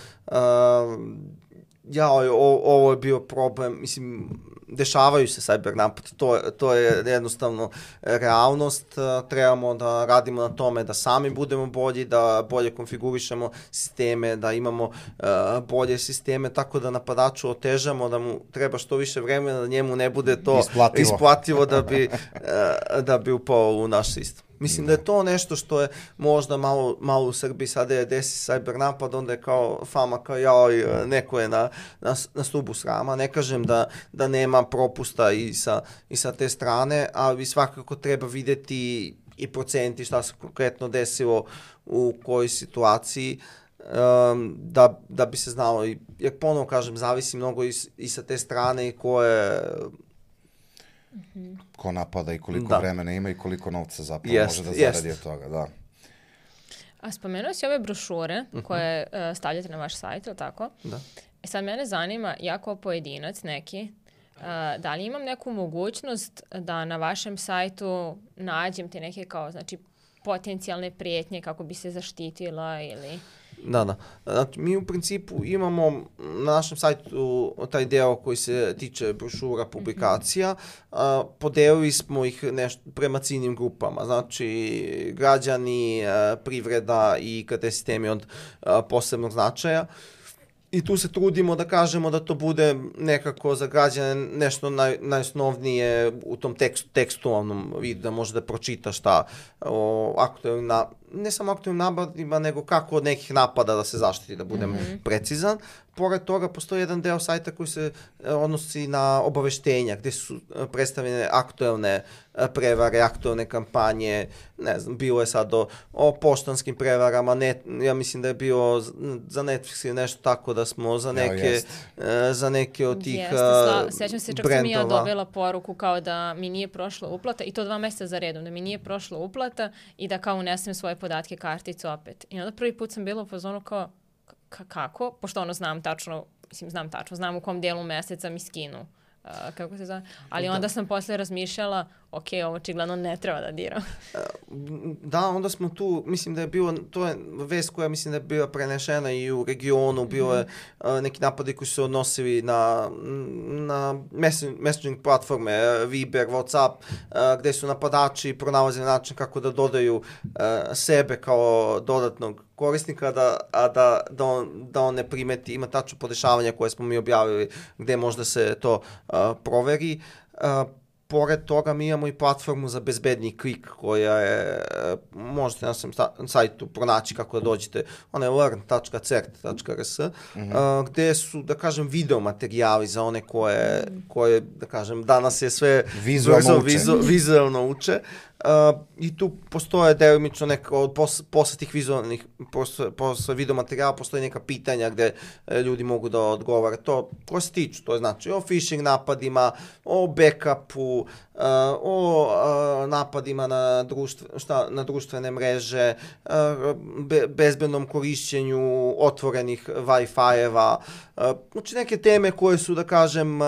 Speaker 3: ja, o, ovo je bio problem, mislim, dešavaju se cyber napad, to, to je jednostavno realnost, trebamo da radimo na tome da sami budemo bolji, da bolje konfigurišemo sisteme, da imamo uh, bolje sisteme, tako da napadaču otežamo, da mu treba što više vremena, da njemu ne bude to
Speaker 1: isplativo,
Speaker 3: isplativo da, bi, uh, da bi upao u naš sistem. Mislim da je to nešto što je možda malo, malo u Srbiji sada je desi cyber napad, onda je kao fama kao jao, neko je na, na, na stubu srama. Ne kažem da, da nema propusta i sa, i sa te strane, ali svakako treba vidjeti i procenti šta se konkretno desilo u kojoj situaciji, um, da, da bi se znalo. Jer ponovo kažem, zavisi mnogo i, i sa te strane i koje...
Speaker 1: Mm-hmm. Ko napada i koliko
Speaker 3: da.
Speaker 1: vremena ima i koliko novca zapravo
Speaker 3: jest,
Speaker 1: može da zaradi
Speaker 3: jest.
Speaker 1: od toga, da.
Speaker 2: A spomenuo si ove brošure uh-huh. koje uh, stavljate na vaš sajt, ili tako?
Speaker 3: Da.
Speaker 2: E sad mene zanima, ja kao pojedinac neki, uh, da li imam neku mogućnost da na vašem sajtu nađem te neke kao, znači, potencijalne prijetnje kako bi se zaštitila ili...
Speaker 3: Da, da. Znači, mi u principu imamo na našem sajtu taj deo koji se tiče brošura, publikacija. Mm-hmm. A, podelili smo ih nešto prema ciljnim grupama. Znači, građani, a, privreda i I T sistemi od a, posebnog značaja. I tu se trudimo da kažemo da to bude nekako za građane nešto naj, najosnovnije u tom tekstu, tekstualnom vidu, da može da pročita šta o aktualnim, na, ne samo aktualnim napadima, nego kako od nekih napada da se zaštiti, da budem mm-hmm. precizan. Pored toga postoji jedan deo sajta koji se odnosi na obaveštenja, gde su predstavljene aktualne prevare, aktualne kampanje, ne znam, bilo je sad o, o poštanskim prevarama, net, ja mislim da je bilo za Netflix ili nešto tako da smo za neke, ja, za neke od tih
Speaker 2: Jeste, sla, sećam se, čak
Speaker 3: brendova.
Speaker 2: sam i ja dobila poruku kao da mi nije prošla uplata, i to dva mjeseca za redom, da mi nije prošla uplata i da kao unesem svoje podatke, karticu opet. I onda prvi put sam bila u fazonu kao, k- kako? Pošto ono znam tačno, mislim znam tačno, znam u kom dijelu meseca mi skinu. Uh, kako se zove, ali onda sam posle razmišljala, ok, ovo očigledno ne treba da diram.
Speaker 3: Da, onda smo tu, mislim da je bilo, to je vest koja mislim da je bila prenešena i u regionu, bilo je uh, neki napadi koji su se odnosili na, na messaging platforme, Viber, WhatsApp, uh, gde su napadači pronalazili način kako da dodaju uh, sebe kao dodatnog korisnika, da, a da, da, on, da on ne primeti, ima tačno podešavanja koje smo mi objavili gde možda se to uh, proveri. Uh, Pored toga mi imamo i platformu za bezbedni klik koja je, možete na našem sajtu pronaći kako da dođete, ona je learn dot cert dot r s, mm-hmm. uh, gde su, da kažem, video materijali za one koje, koje da kažem, danas je sve
Speaker 1: vizualno uče.
Speaker 3: Vizu, vizualno uče. Uh, I tu postoje delimično neka, od pos, posle tih vizualnih, posle, posle video materijala postoje neka pitanja gde e, ljudi mogu da odgovore. To ko se tiču, to je znači o phishing napadima, o backupu, uh, o uh, napadima na, društve, šta, na društvene mreže, uh, be, bezbednom korišćenju otvorenih Wi-Fi-eva, uh, znači neke teme koje su, da kažem, uh,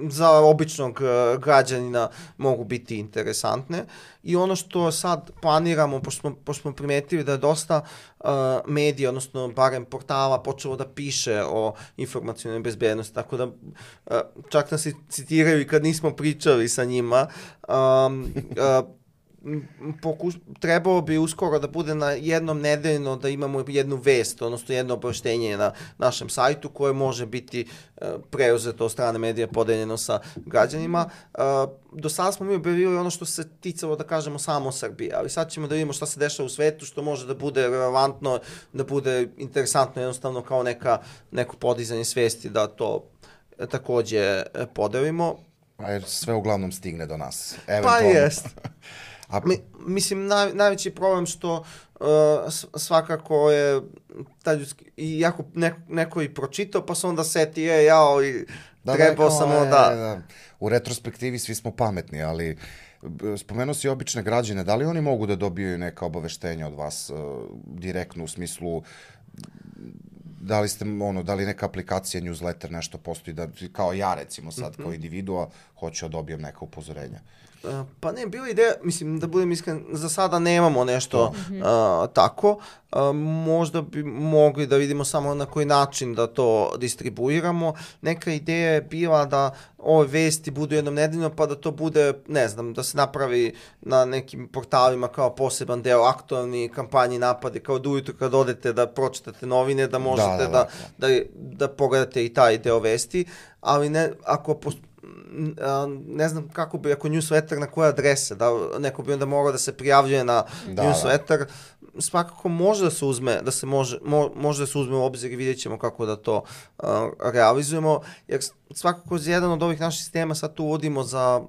Speaker 3: za običnog uh, građanina mogu biti interesantne. I ono što sad planiramo, pošto smo, pošto smo primetili da je dosta uh, medija, odnosno barem portala, počelo da piše o informacionoj bezbednosti, tako da uh, čak nas i citiraju i kad nismo pričali sa njima. Um, uh, Pokus, trebalo bi uskoro da bude na jednom nedeljno da imamo jednu vest, odnosno jedno obaveštenje na našem sajtu koje može biti uh, preuzeto od strane medija, podeljeno sa građanima. Uh, do sada smo mi objavili ono što se ticalo, da kažemo, samo Srbije, ali sad ćemo da vidimo šta se dešava u svetu, što može da bude relevantno, da bude interesantno, jednostavno kao neka, neko podizanje svesti da to takođe podelimo.
Speaker 1: A jer sve uglavnom stigne do nas.
Speaker 3: Pa jest.
Speaker 1: A...
Speaker 3: Mi, mislim, naj, najveći problem što uh, svakako je taj ljudski, i ako neko, neko i pročitao, pa se onda seti, je, jao, i
Speaker 1: da,
Speaker 3: trebao
Speaker 1: da,
Speaker 3: samo
Speaker 1: je,
Speaker 3: da...
Speaker 1: da... U retrospektivi svi smo pametni, ali spomenuo si obične građane, da li oni mogu da dobiju neka obaveštenja od vas uh, direktno u smislu da li ste, ono, da li neka aplikacija, newsletter, nešto postoji, da, kao ja recimo sad, mm-hmm. kao individua, hoću da dobijem neka upozorenja.
Speaker 3: Uh, pa ne, bila ideja, mislim, da budem iskren, za sada nemamo nešto mm-hmm. uh, tako. Uh, možda bi mogli da vidimo samo na koji način da to distribuiramo. Neka ideja je bila da ove vesti budu jednom nedeljno, pa da to bude, ne znam, da se napravi na nekim portalima kao poseban deo aktualni kampanji napade, kao da ujutru kad odete da pročitate novine, da možete da, da, da, da, da pogledate i taj deo vesti, ali ne, ako postoji ne znam kako bi, ako newsletter na koje adrese, da neko bi onda morao da se prijavljuje na da, newsletter, da. Svakako može da se uzme, da se može, mo, može da se uzme u obzir i vidjet ćemo kako da to uh, realizujemo, jer svakako jedan od ovih naših sistema sad tu uvodimo za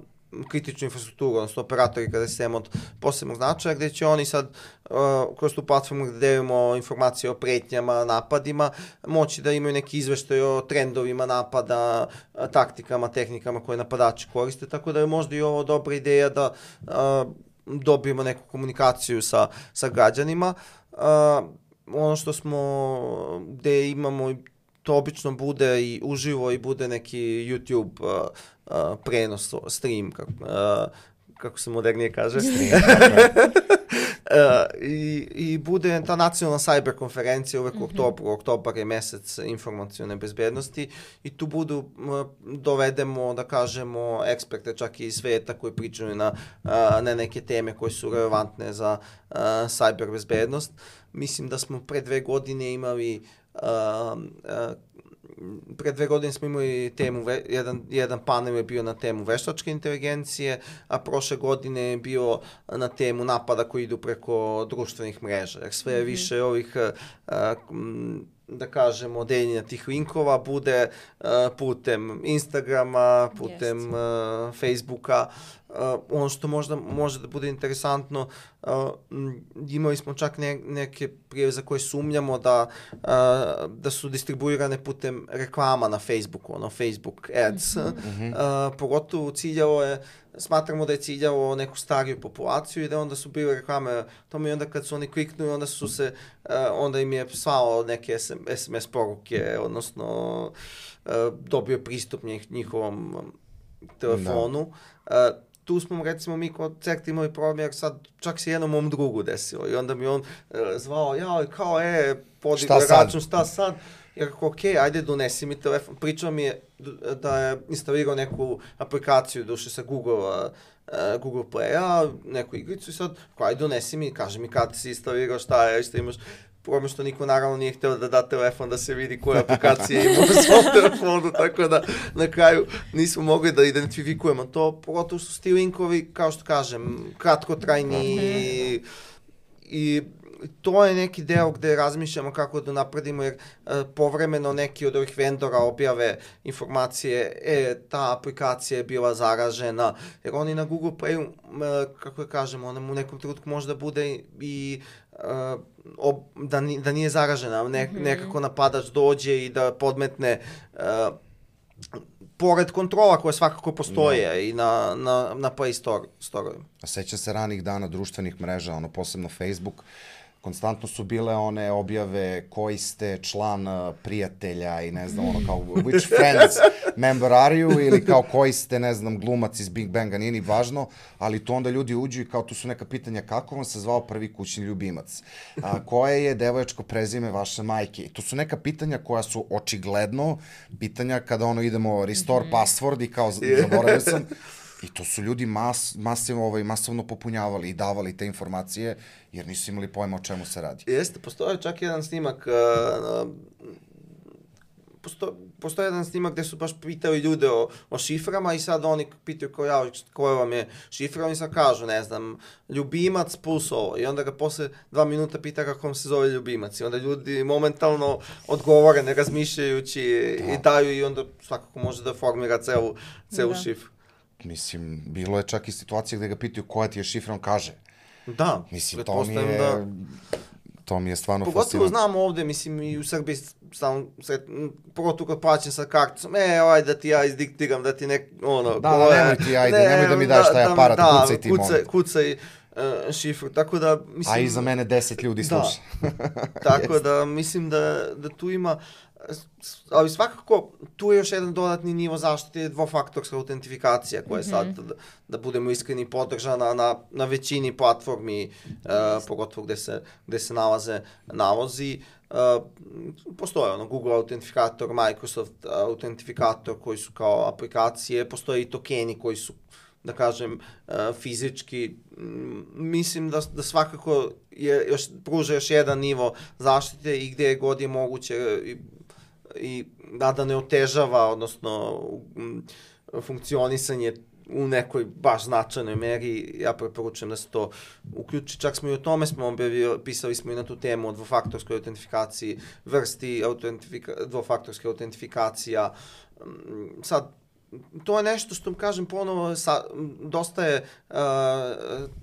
Speaker 3: kritičnu infrastrukturu, odnosno operatori kada je sistem od posebnog značaja, gde će oni sad uh, kroz tu platformu gde delimo informacije o pretnjama, napadima, moći da imaju neki izveštaj o trendovima napada, taktikama, tehnikama koje napadači koriste, tako da je možda i ovo dobra ideja da uh, dobijemo neku komunikaciju sa, sa građanima. Uh, ono što smo, gde imamo, to obično bude i uživo i bude neki YouTube uh, Uh, prenos, stream, kako, uh, kako se modernije kaže. Stream, uh, i, I bude ta nacionalna cyber konferencija uvek u mm-hmm. oktobru. Oktobar je mesec informacione bezbednosti i tu budu, uh, dovedemo, da kažemo, eksperte čak i iz sveta koji pričaju na, uh, na neke teme koje su relevantne za uh, cyber bezbednost. Mislim da smo pre dve godine imali uh, uh, Pre dve godine smo imali temu, jedan, jedan panel je bio na temu veštačke inteligencije, a prošle godine je bio na temu napada koji idu preko društvenih mreža. Jer sve mm-hmm. više ovih, da kažemo, deljenja tih linkova bude putem Instagrama, putem yes. Facebooka. Uh, ono što možda može da bude interesantno, uh, imali smo čak ne, neke prijave za koje sumnjamo da, uh, da su distribuirane putem reklama na Facebooku, ono Facebook ads, mm-hmm. uh, pogotovo ciljavo je, smatramo da je ciljavo neku stariju populaciju i da onda su bile reklame tome i onda kad su oni kliknuli, onda su se, uh, onda im je slao neke es em es poruke, odnosno uh, dobio pristup njih, njihovom telefonu. Da. Uh, Tu smo, recimo, mi kod CERT imali problem, jer sad čak se jednom mom drugu desilo i onda mi on uh, zvao, ja, kao, e, podigao račun, šta sad? Jer ako, okej, okay, ajde, donesi mi telefon. Pričao mi je da je instalirao neku aplikaciju, duše sa Google, uh, Google Play-a, neku igricu i sad, kao, ajde, donesi mi, kaže mi kad si instalirao, šta je, šta imaš. Problem što niko naravno nije htio da da telefon da se vidi koje aplikacije ima u svom telefonu, tako da na kraju nismo mogli da identifikujemo to, pogotovo su ti linkovi, kao što kažem, kratkotrajni i, i to je neki deo gde razmišljamo kako da napredimo, jer uh, povremeno neki od ovih vendora objave informacije, e, ta aplikacija je bila zaražena, jer oni na Google Playu, uh, kako je kažemo, ona u nekom trenutku možda bude i uh, ob, da, ni, da nije zaražena, ne, mm-hmm. nekako napadač dođe i da podmetne uh, pored kontrola koje svakako postoje no. i na, na, na Play Store, Store-ovima.
Speaker 1: A sećam se ranih dana društvenih mreža, ono posebno Facebook, konstantno su bile one objave koji ste član uh, prijatelja i ne znam, ono kao which friends member are you ili kao koji ste, ne znam, glumac iz Big Banga, nije ni važno, ali to onda ljudi uđu i kao tu su neka pitanja kako vam se zvao prvi kućni ljubimac, a, koje je devojačko prezime vaše majke. I to su neka pitanja koja su očigledno pitanja kada ono idemo restore mm-hmm. password i kao zaboravio sam. I to su ljudi mas, masivno, ovaj, masovno popunjavali i davali te informacije, jer nisu imali pojma o čemu se radi.
Speaker 3: Jeste, postoje čak jedan snimak, uh, posto, postoje jedan snimak gde su baš pitali ljude o, o šiframa i sad oni pitaju ko ja, koja vam je šifra, oni sad kažu, ne znam, ljubimac plus ovo. I onda ga posle dva minuta pita kako vam se zove ljubimac. I onda ljudi momentalno odgovore, ne razmišljajući da. i daju i onda svakako može da formira celu, celu da. šifru.
Speaker 1: Mislim, bilo je čak i situacija gde ga pitaju koja ti je šifra, on kaže.
Speaker 3: Da.
Speaker 1: Mislim, to mi je, da... to mi je stvarno
Speaker 3: pogotovo
Speaker 1: fascinantno.
Speaker 3: Pogotovo znamo ovde, mislim, i u Srbiji, sam, sred, pogotovo kad plaćam sa karticom, e, ajde da ti ja izdiktiram, da ti nek, ono...
Speaker 1: Da, da, nemoj ti, ajde, ne, nemoj da mi daš taj aparat, da, kucaj ti,
Speaker 3: kucaj, kucaj, uh, šifru, tako da mislim...
Speaker 1: A i za mene deset ljudi sluša.
Speaker 3: Da. Tako da mislim da, da tu ima, ali svakako tu je još jedan dodatni nivo zaštite, dvofaktorska autentifikacija koja je sad, da, da budemo iskreni, podržana na, na većini platformi, uh, pogotovo gde se, gde se nalaze nalozi. Uh, postoje ono Google autentifikator, Microsoft autentifikator koji su kao aplikacije, postoje i tokeni koji su, da kažem, uh, fizički. Mislim da, da svakako je još, pruža još jedan nivo zaštite i gde god je moguće i, i da, da ne otežava, odnosno um, funkcionisanje u nekoj baš značajnoj meri. Ja preporučujem da se to uključi. Čak smo i o tome smo objavili, pisali smo i na tu temu o dvofaktorskoj autentifikaciji, vrsti autentifika, dvofaktorske autentifikacija. Sad, to je nešto što, kažem ponovo, sa, dosta je uh,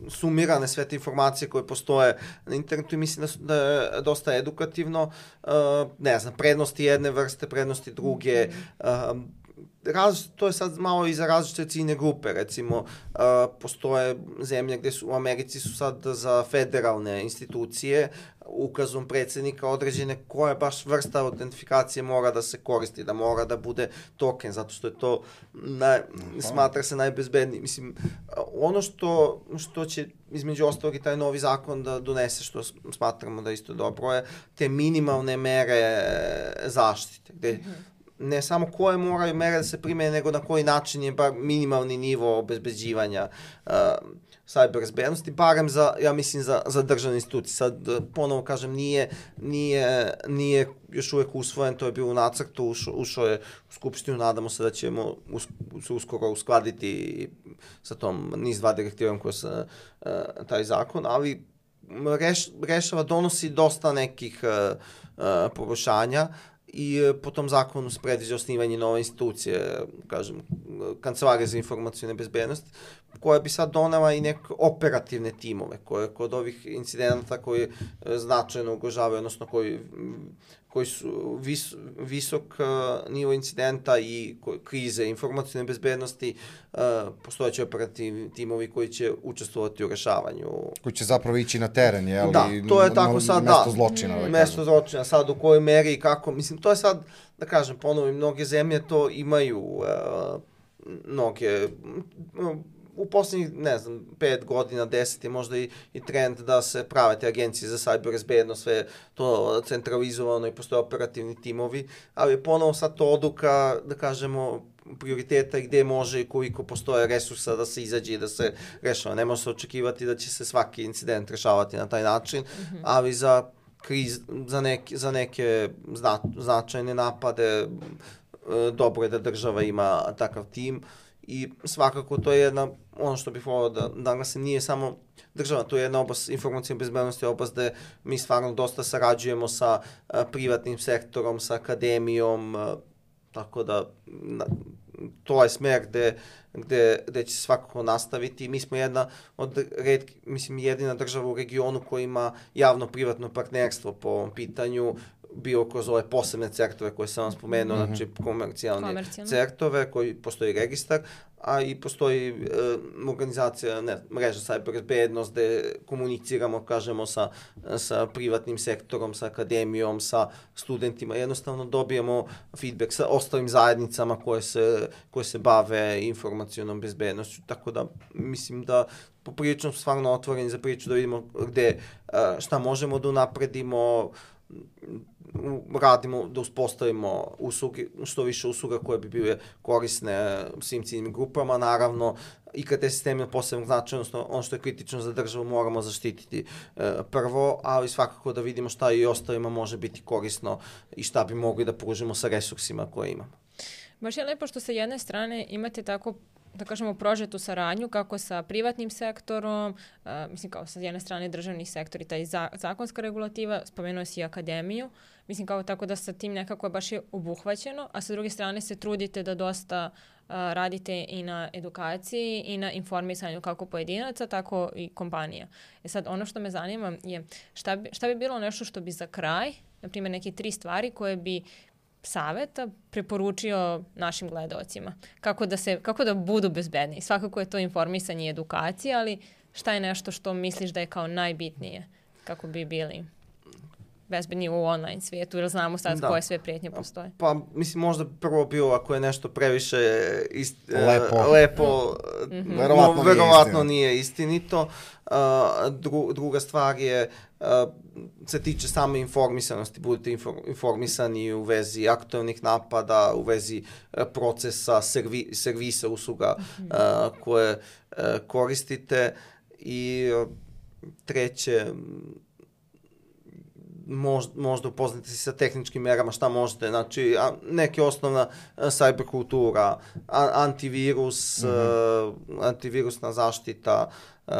Speaker 3: sumirane sve te informacije koje postoje na internetu i mislim da, su, da je dosta edukativno. Uh, ne znam, prednosti jedne vrste, prednosti druge, uh, Različite, to je sad malo i za različite ciljne grupe, recimo uh, postoje zemlje gde su, u Americi su sad za federalne institucije ukazom predsjednika određene koja baš vrsta autentifikacije mora da se koristi, da mora da bude token, zato što je to naj, smatra se najbezbedniji. Mislim, ono što, što će između ostalog i taj novi zakon da donese, što smatramo da isto dobro je, te minimalne mere zaštite, gde ne samo koje moraju mere da se primene, nego na koji način je bar minimalni nivo obezbeđivanja uh, cyber bezbednosti, barem za, ja mislim, za, za državne institucije. Sad, ponovo kažem, nije, nije, nije još uvek usvojen, to je bilo u nacrtu, ušao, ušao je u Skupštinu, nadamo se da ćemo us, se uskoro uskladiti sa tom niz dva direktivom koja se uh, taj zakon, ali reš, rešava, donosi dosta nekih uh, uh, poboljšanja, i po tom zakonu se predviđa osnivanje nove institucije, kažem, Kancelarije za informacione bezbednosti, koja bi sad donela i neke operativne timove, koje kod ovih incidenata koji značajno ugrožavaju, odnosno koji, koji su vis, visok uh, nivo incidenta i krize informacione bezbednosti, uh, postojeći operativni timovi koji će učestvovati u rešavanju.
Speaker 1: Koji će zapravo ići na teren, je li?
Speaker 3: Da, to je tako sad,
Speaker 1: mesto
Speaker 3: da.
Speaker 1: zločina. Da
Speaker 3: mesto zločina, sad u kojoj meri i kako, mislim, to je sad, da kažem, ponovo, mnoge zemlje to imaju, uh, mnoge, uh, u posljednjih, ne znam, pet godina, deset je možda i, i trend da se prave te agencije za cyber bezbednost, sve to centralizovano i postoje operativni timovi, ali je ponovo sad to odluka, da kažemo, prioriteta i gde može i koliko postoje resursa da se izađe i da se rešava. Ne može se očekivati da će se svaki incident rešavati na taj način, mm-hmm. ali za kriz, za neke, za neke zna, značajne napade dobro je da država ima takav tim. I svakako to je jedna, ono što bih volao da naglasim, nije samo država, to je jedna oblast informacijne bezbednosti, oblast gde mi stvarno dosta sarađujemo sa a, privatnim sektorom, sa akademijom, a, tako da na, to je smer gde, gde, gde će se svakako nastaviti. Mi smo jedna od retki, mislim jedina država u regionu koja ima javno-privatno partnerstvo po ovom pitanju, bio kroz ove posebne certove koje sam vam spomenuo, mm-hmm. znači komercijalne, komercijalne certove koji postoji registar, a i postoji e, organizacija, ne, mreža cyber bezbednost gde komuniciramo, kažemo, sa, sa privatnim sektorom, sa akademijom, sa studentima, jednostavno dobijemo feedback sa ostalim zajednicama koje se, koje se bave informacionom bezbednošću, tako da mislim da poprilično smo stvarno otvoreni za priču da vidimo gde, šta možemo da unapredimo, radimo da uspostavimo usluge, što više usluga koje bi bile korisne svim ciljnim grupama, naravno i kad te sisteme posebnog značaja, odnosno ono što je kritično za državu moramo zaštititi e, prvo, ali svakako da vidimo šta i ostalima može biti korisno i šta bi mogli da pružimo sa resursima koje imamo.
Speaker 2: Baš je lepo što sa jedne strane imate tako, da kažemo, prožetu saradnju kako sa privatnim sektorom, uh, mislim kao sa jedne strane državni sektor i taj za, zakonska regulativa, spomenuo si i akademiju, mislim kao tako da sa tim nekako je baš je obuhvaćeno, a sa druge strane se trudite da dosta uh, radite i na edukaciji i na informisanju kako pojedinaca, tako i kompanija. E sad, ono što me zanima je šta bi, šta bi bilo nešto što bi za kraj, na primjer neke tri stvari koje bi saveta preporučio našim gledaocima. Kako da, se, kako da budu bezbedni. Svakako je to informisanje i edukacija, ali šta je nešto što misliš da je kao najbitnije kako bi bili bezbedni u online svijetu, jer znamo sad da. koje sve prijetnje postoje.
Speaker 3: Pa, mislim, možda prvo bilo ako je nešto previše ist,
Speaker 1: lepo,
Speaker 3: uh, lepo
Speaker 1: mm-hmm. verovatno,
Speaker 3: no, verovatno nije istinito. Uh, dru, druga stvar je, uh, se tiče same informisanosti, budete infor, informisani u vezi aktualnih napada, u vezi uh, procesa, servi, servisa, usluga mm-hmm. uh, koje uh, koristite. I uh, treće, Možda, možda upoznate se sa tehničkim merama, šta možete, znači neke osnovna cyber kultura, antivirus, mm-hmm. uh, antivirusna zaštita, uh,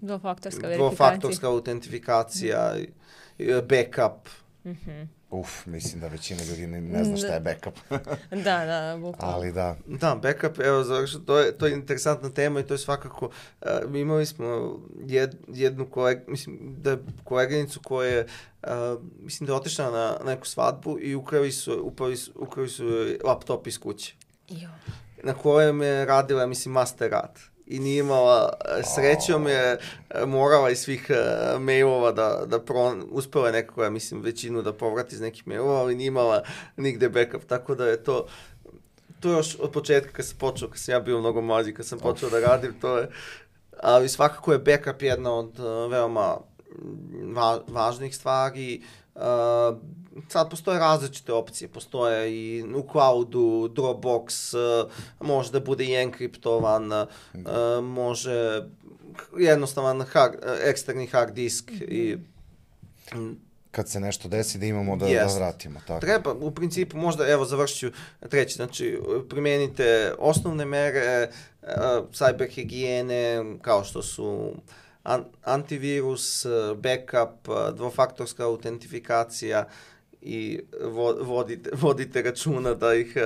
Speaker 2: dvofaktorska
Speaker 3: verifikacija, dvofaktorska autentifikacija, mm-hmm. backup.
Speaker 2: Mm-hmm.
Speaker 1: Uf, mislim da većina ljudi ne, ne zna šta je backup.
Speaker 2: da, da, bukvalno.
Speaker 1: Ali da.
Speaker 3: Da, backup, evo, završi, to je, to je interesantna tema i to je svakako, uh, imali smo jed, jednu koleg, mislim, da je koleginicu koja je, uh, mislim da je otišla na neku svadbu i ukrali su, uprali su, ukrali su laptop iz kuće.
Speaker 2: Jo.
Speaker 3: Na kojem je radila, mislim, master rad. I nije imala, srećom je morala iz svih uh, mailova da, da pro, uspela je nekako, ja mislim, većinu da povrati iz nekih mailova, ali nije imala nigde backup, tako da je to, to još od početka kad sam počeo, kad sam ja bio mnogo mlađi, kad sam počeo da radim, to je, ali svakako je backup jedna od uh, veoma va, važnih stvari. Uh, sad postoje različite opcije, postoje i u cloudu, Dropbox, uh, može da bude i enkriptovan, uh, može jednostavan hard, eksterni hard disk i
Speaker 1: kad se nešto desi da imamo da, da vratimo. Tako.
Speaker 3: Treba, u principu, možda, evo, završit ću treći, znači, primenite osnovne mere uh, cyber higijene, kao što su An- antivirus, backup, dvofaktorska autentifikacija i vo- vodite, vodite računa da ih,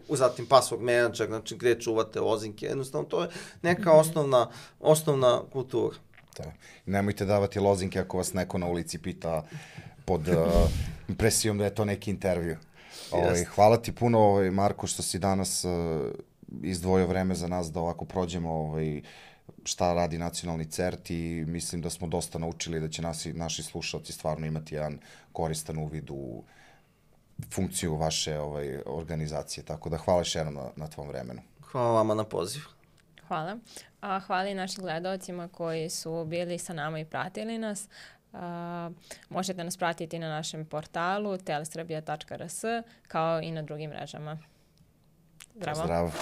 Speaker 3: uh, zatim password manager, znači gdje čuvate lozinke, jednostavno to je neka osnovna, osnovna kultura.
Speaker 1: Da. Nemojte davati lozinke ako vas neko na ulici pita pod uh, presijom da je to neki intervju. Ovaj, hvala ti puno, ovaj, Marko, što si danas uh, izdvojio vreme za nas da ovako prođemo ovaj, šta radi nacionalni CERT i mislim da smo dosta naučili da će nasi, naši slušalci stvarno imati jedan koristan uvid u funkciju vaše ovaj, organizacije. Tako da hvala još jednom na, na tvom vremenu.
Speaker 3: Hvala vama na poziv.
Speaker 2: Hvala. A, hvala i našim gledalcima koji su bili sa nama i pratili nas. Uh, možete nas pratiti na našem portalu telesrbija tačka r s kao i na drugim mrežama. Zdravo.
Speaker 1: Zdravo.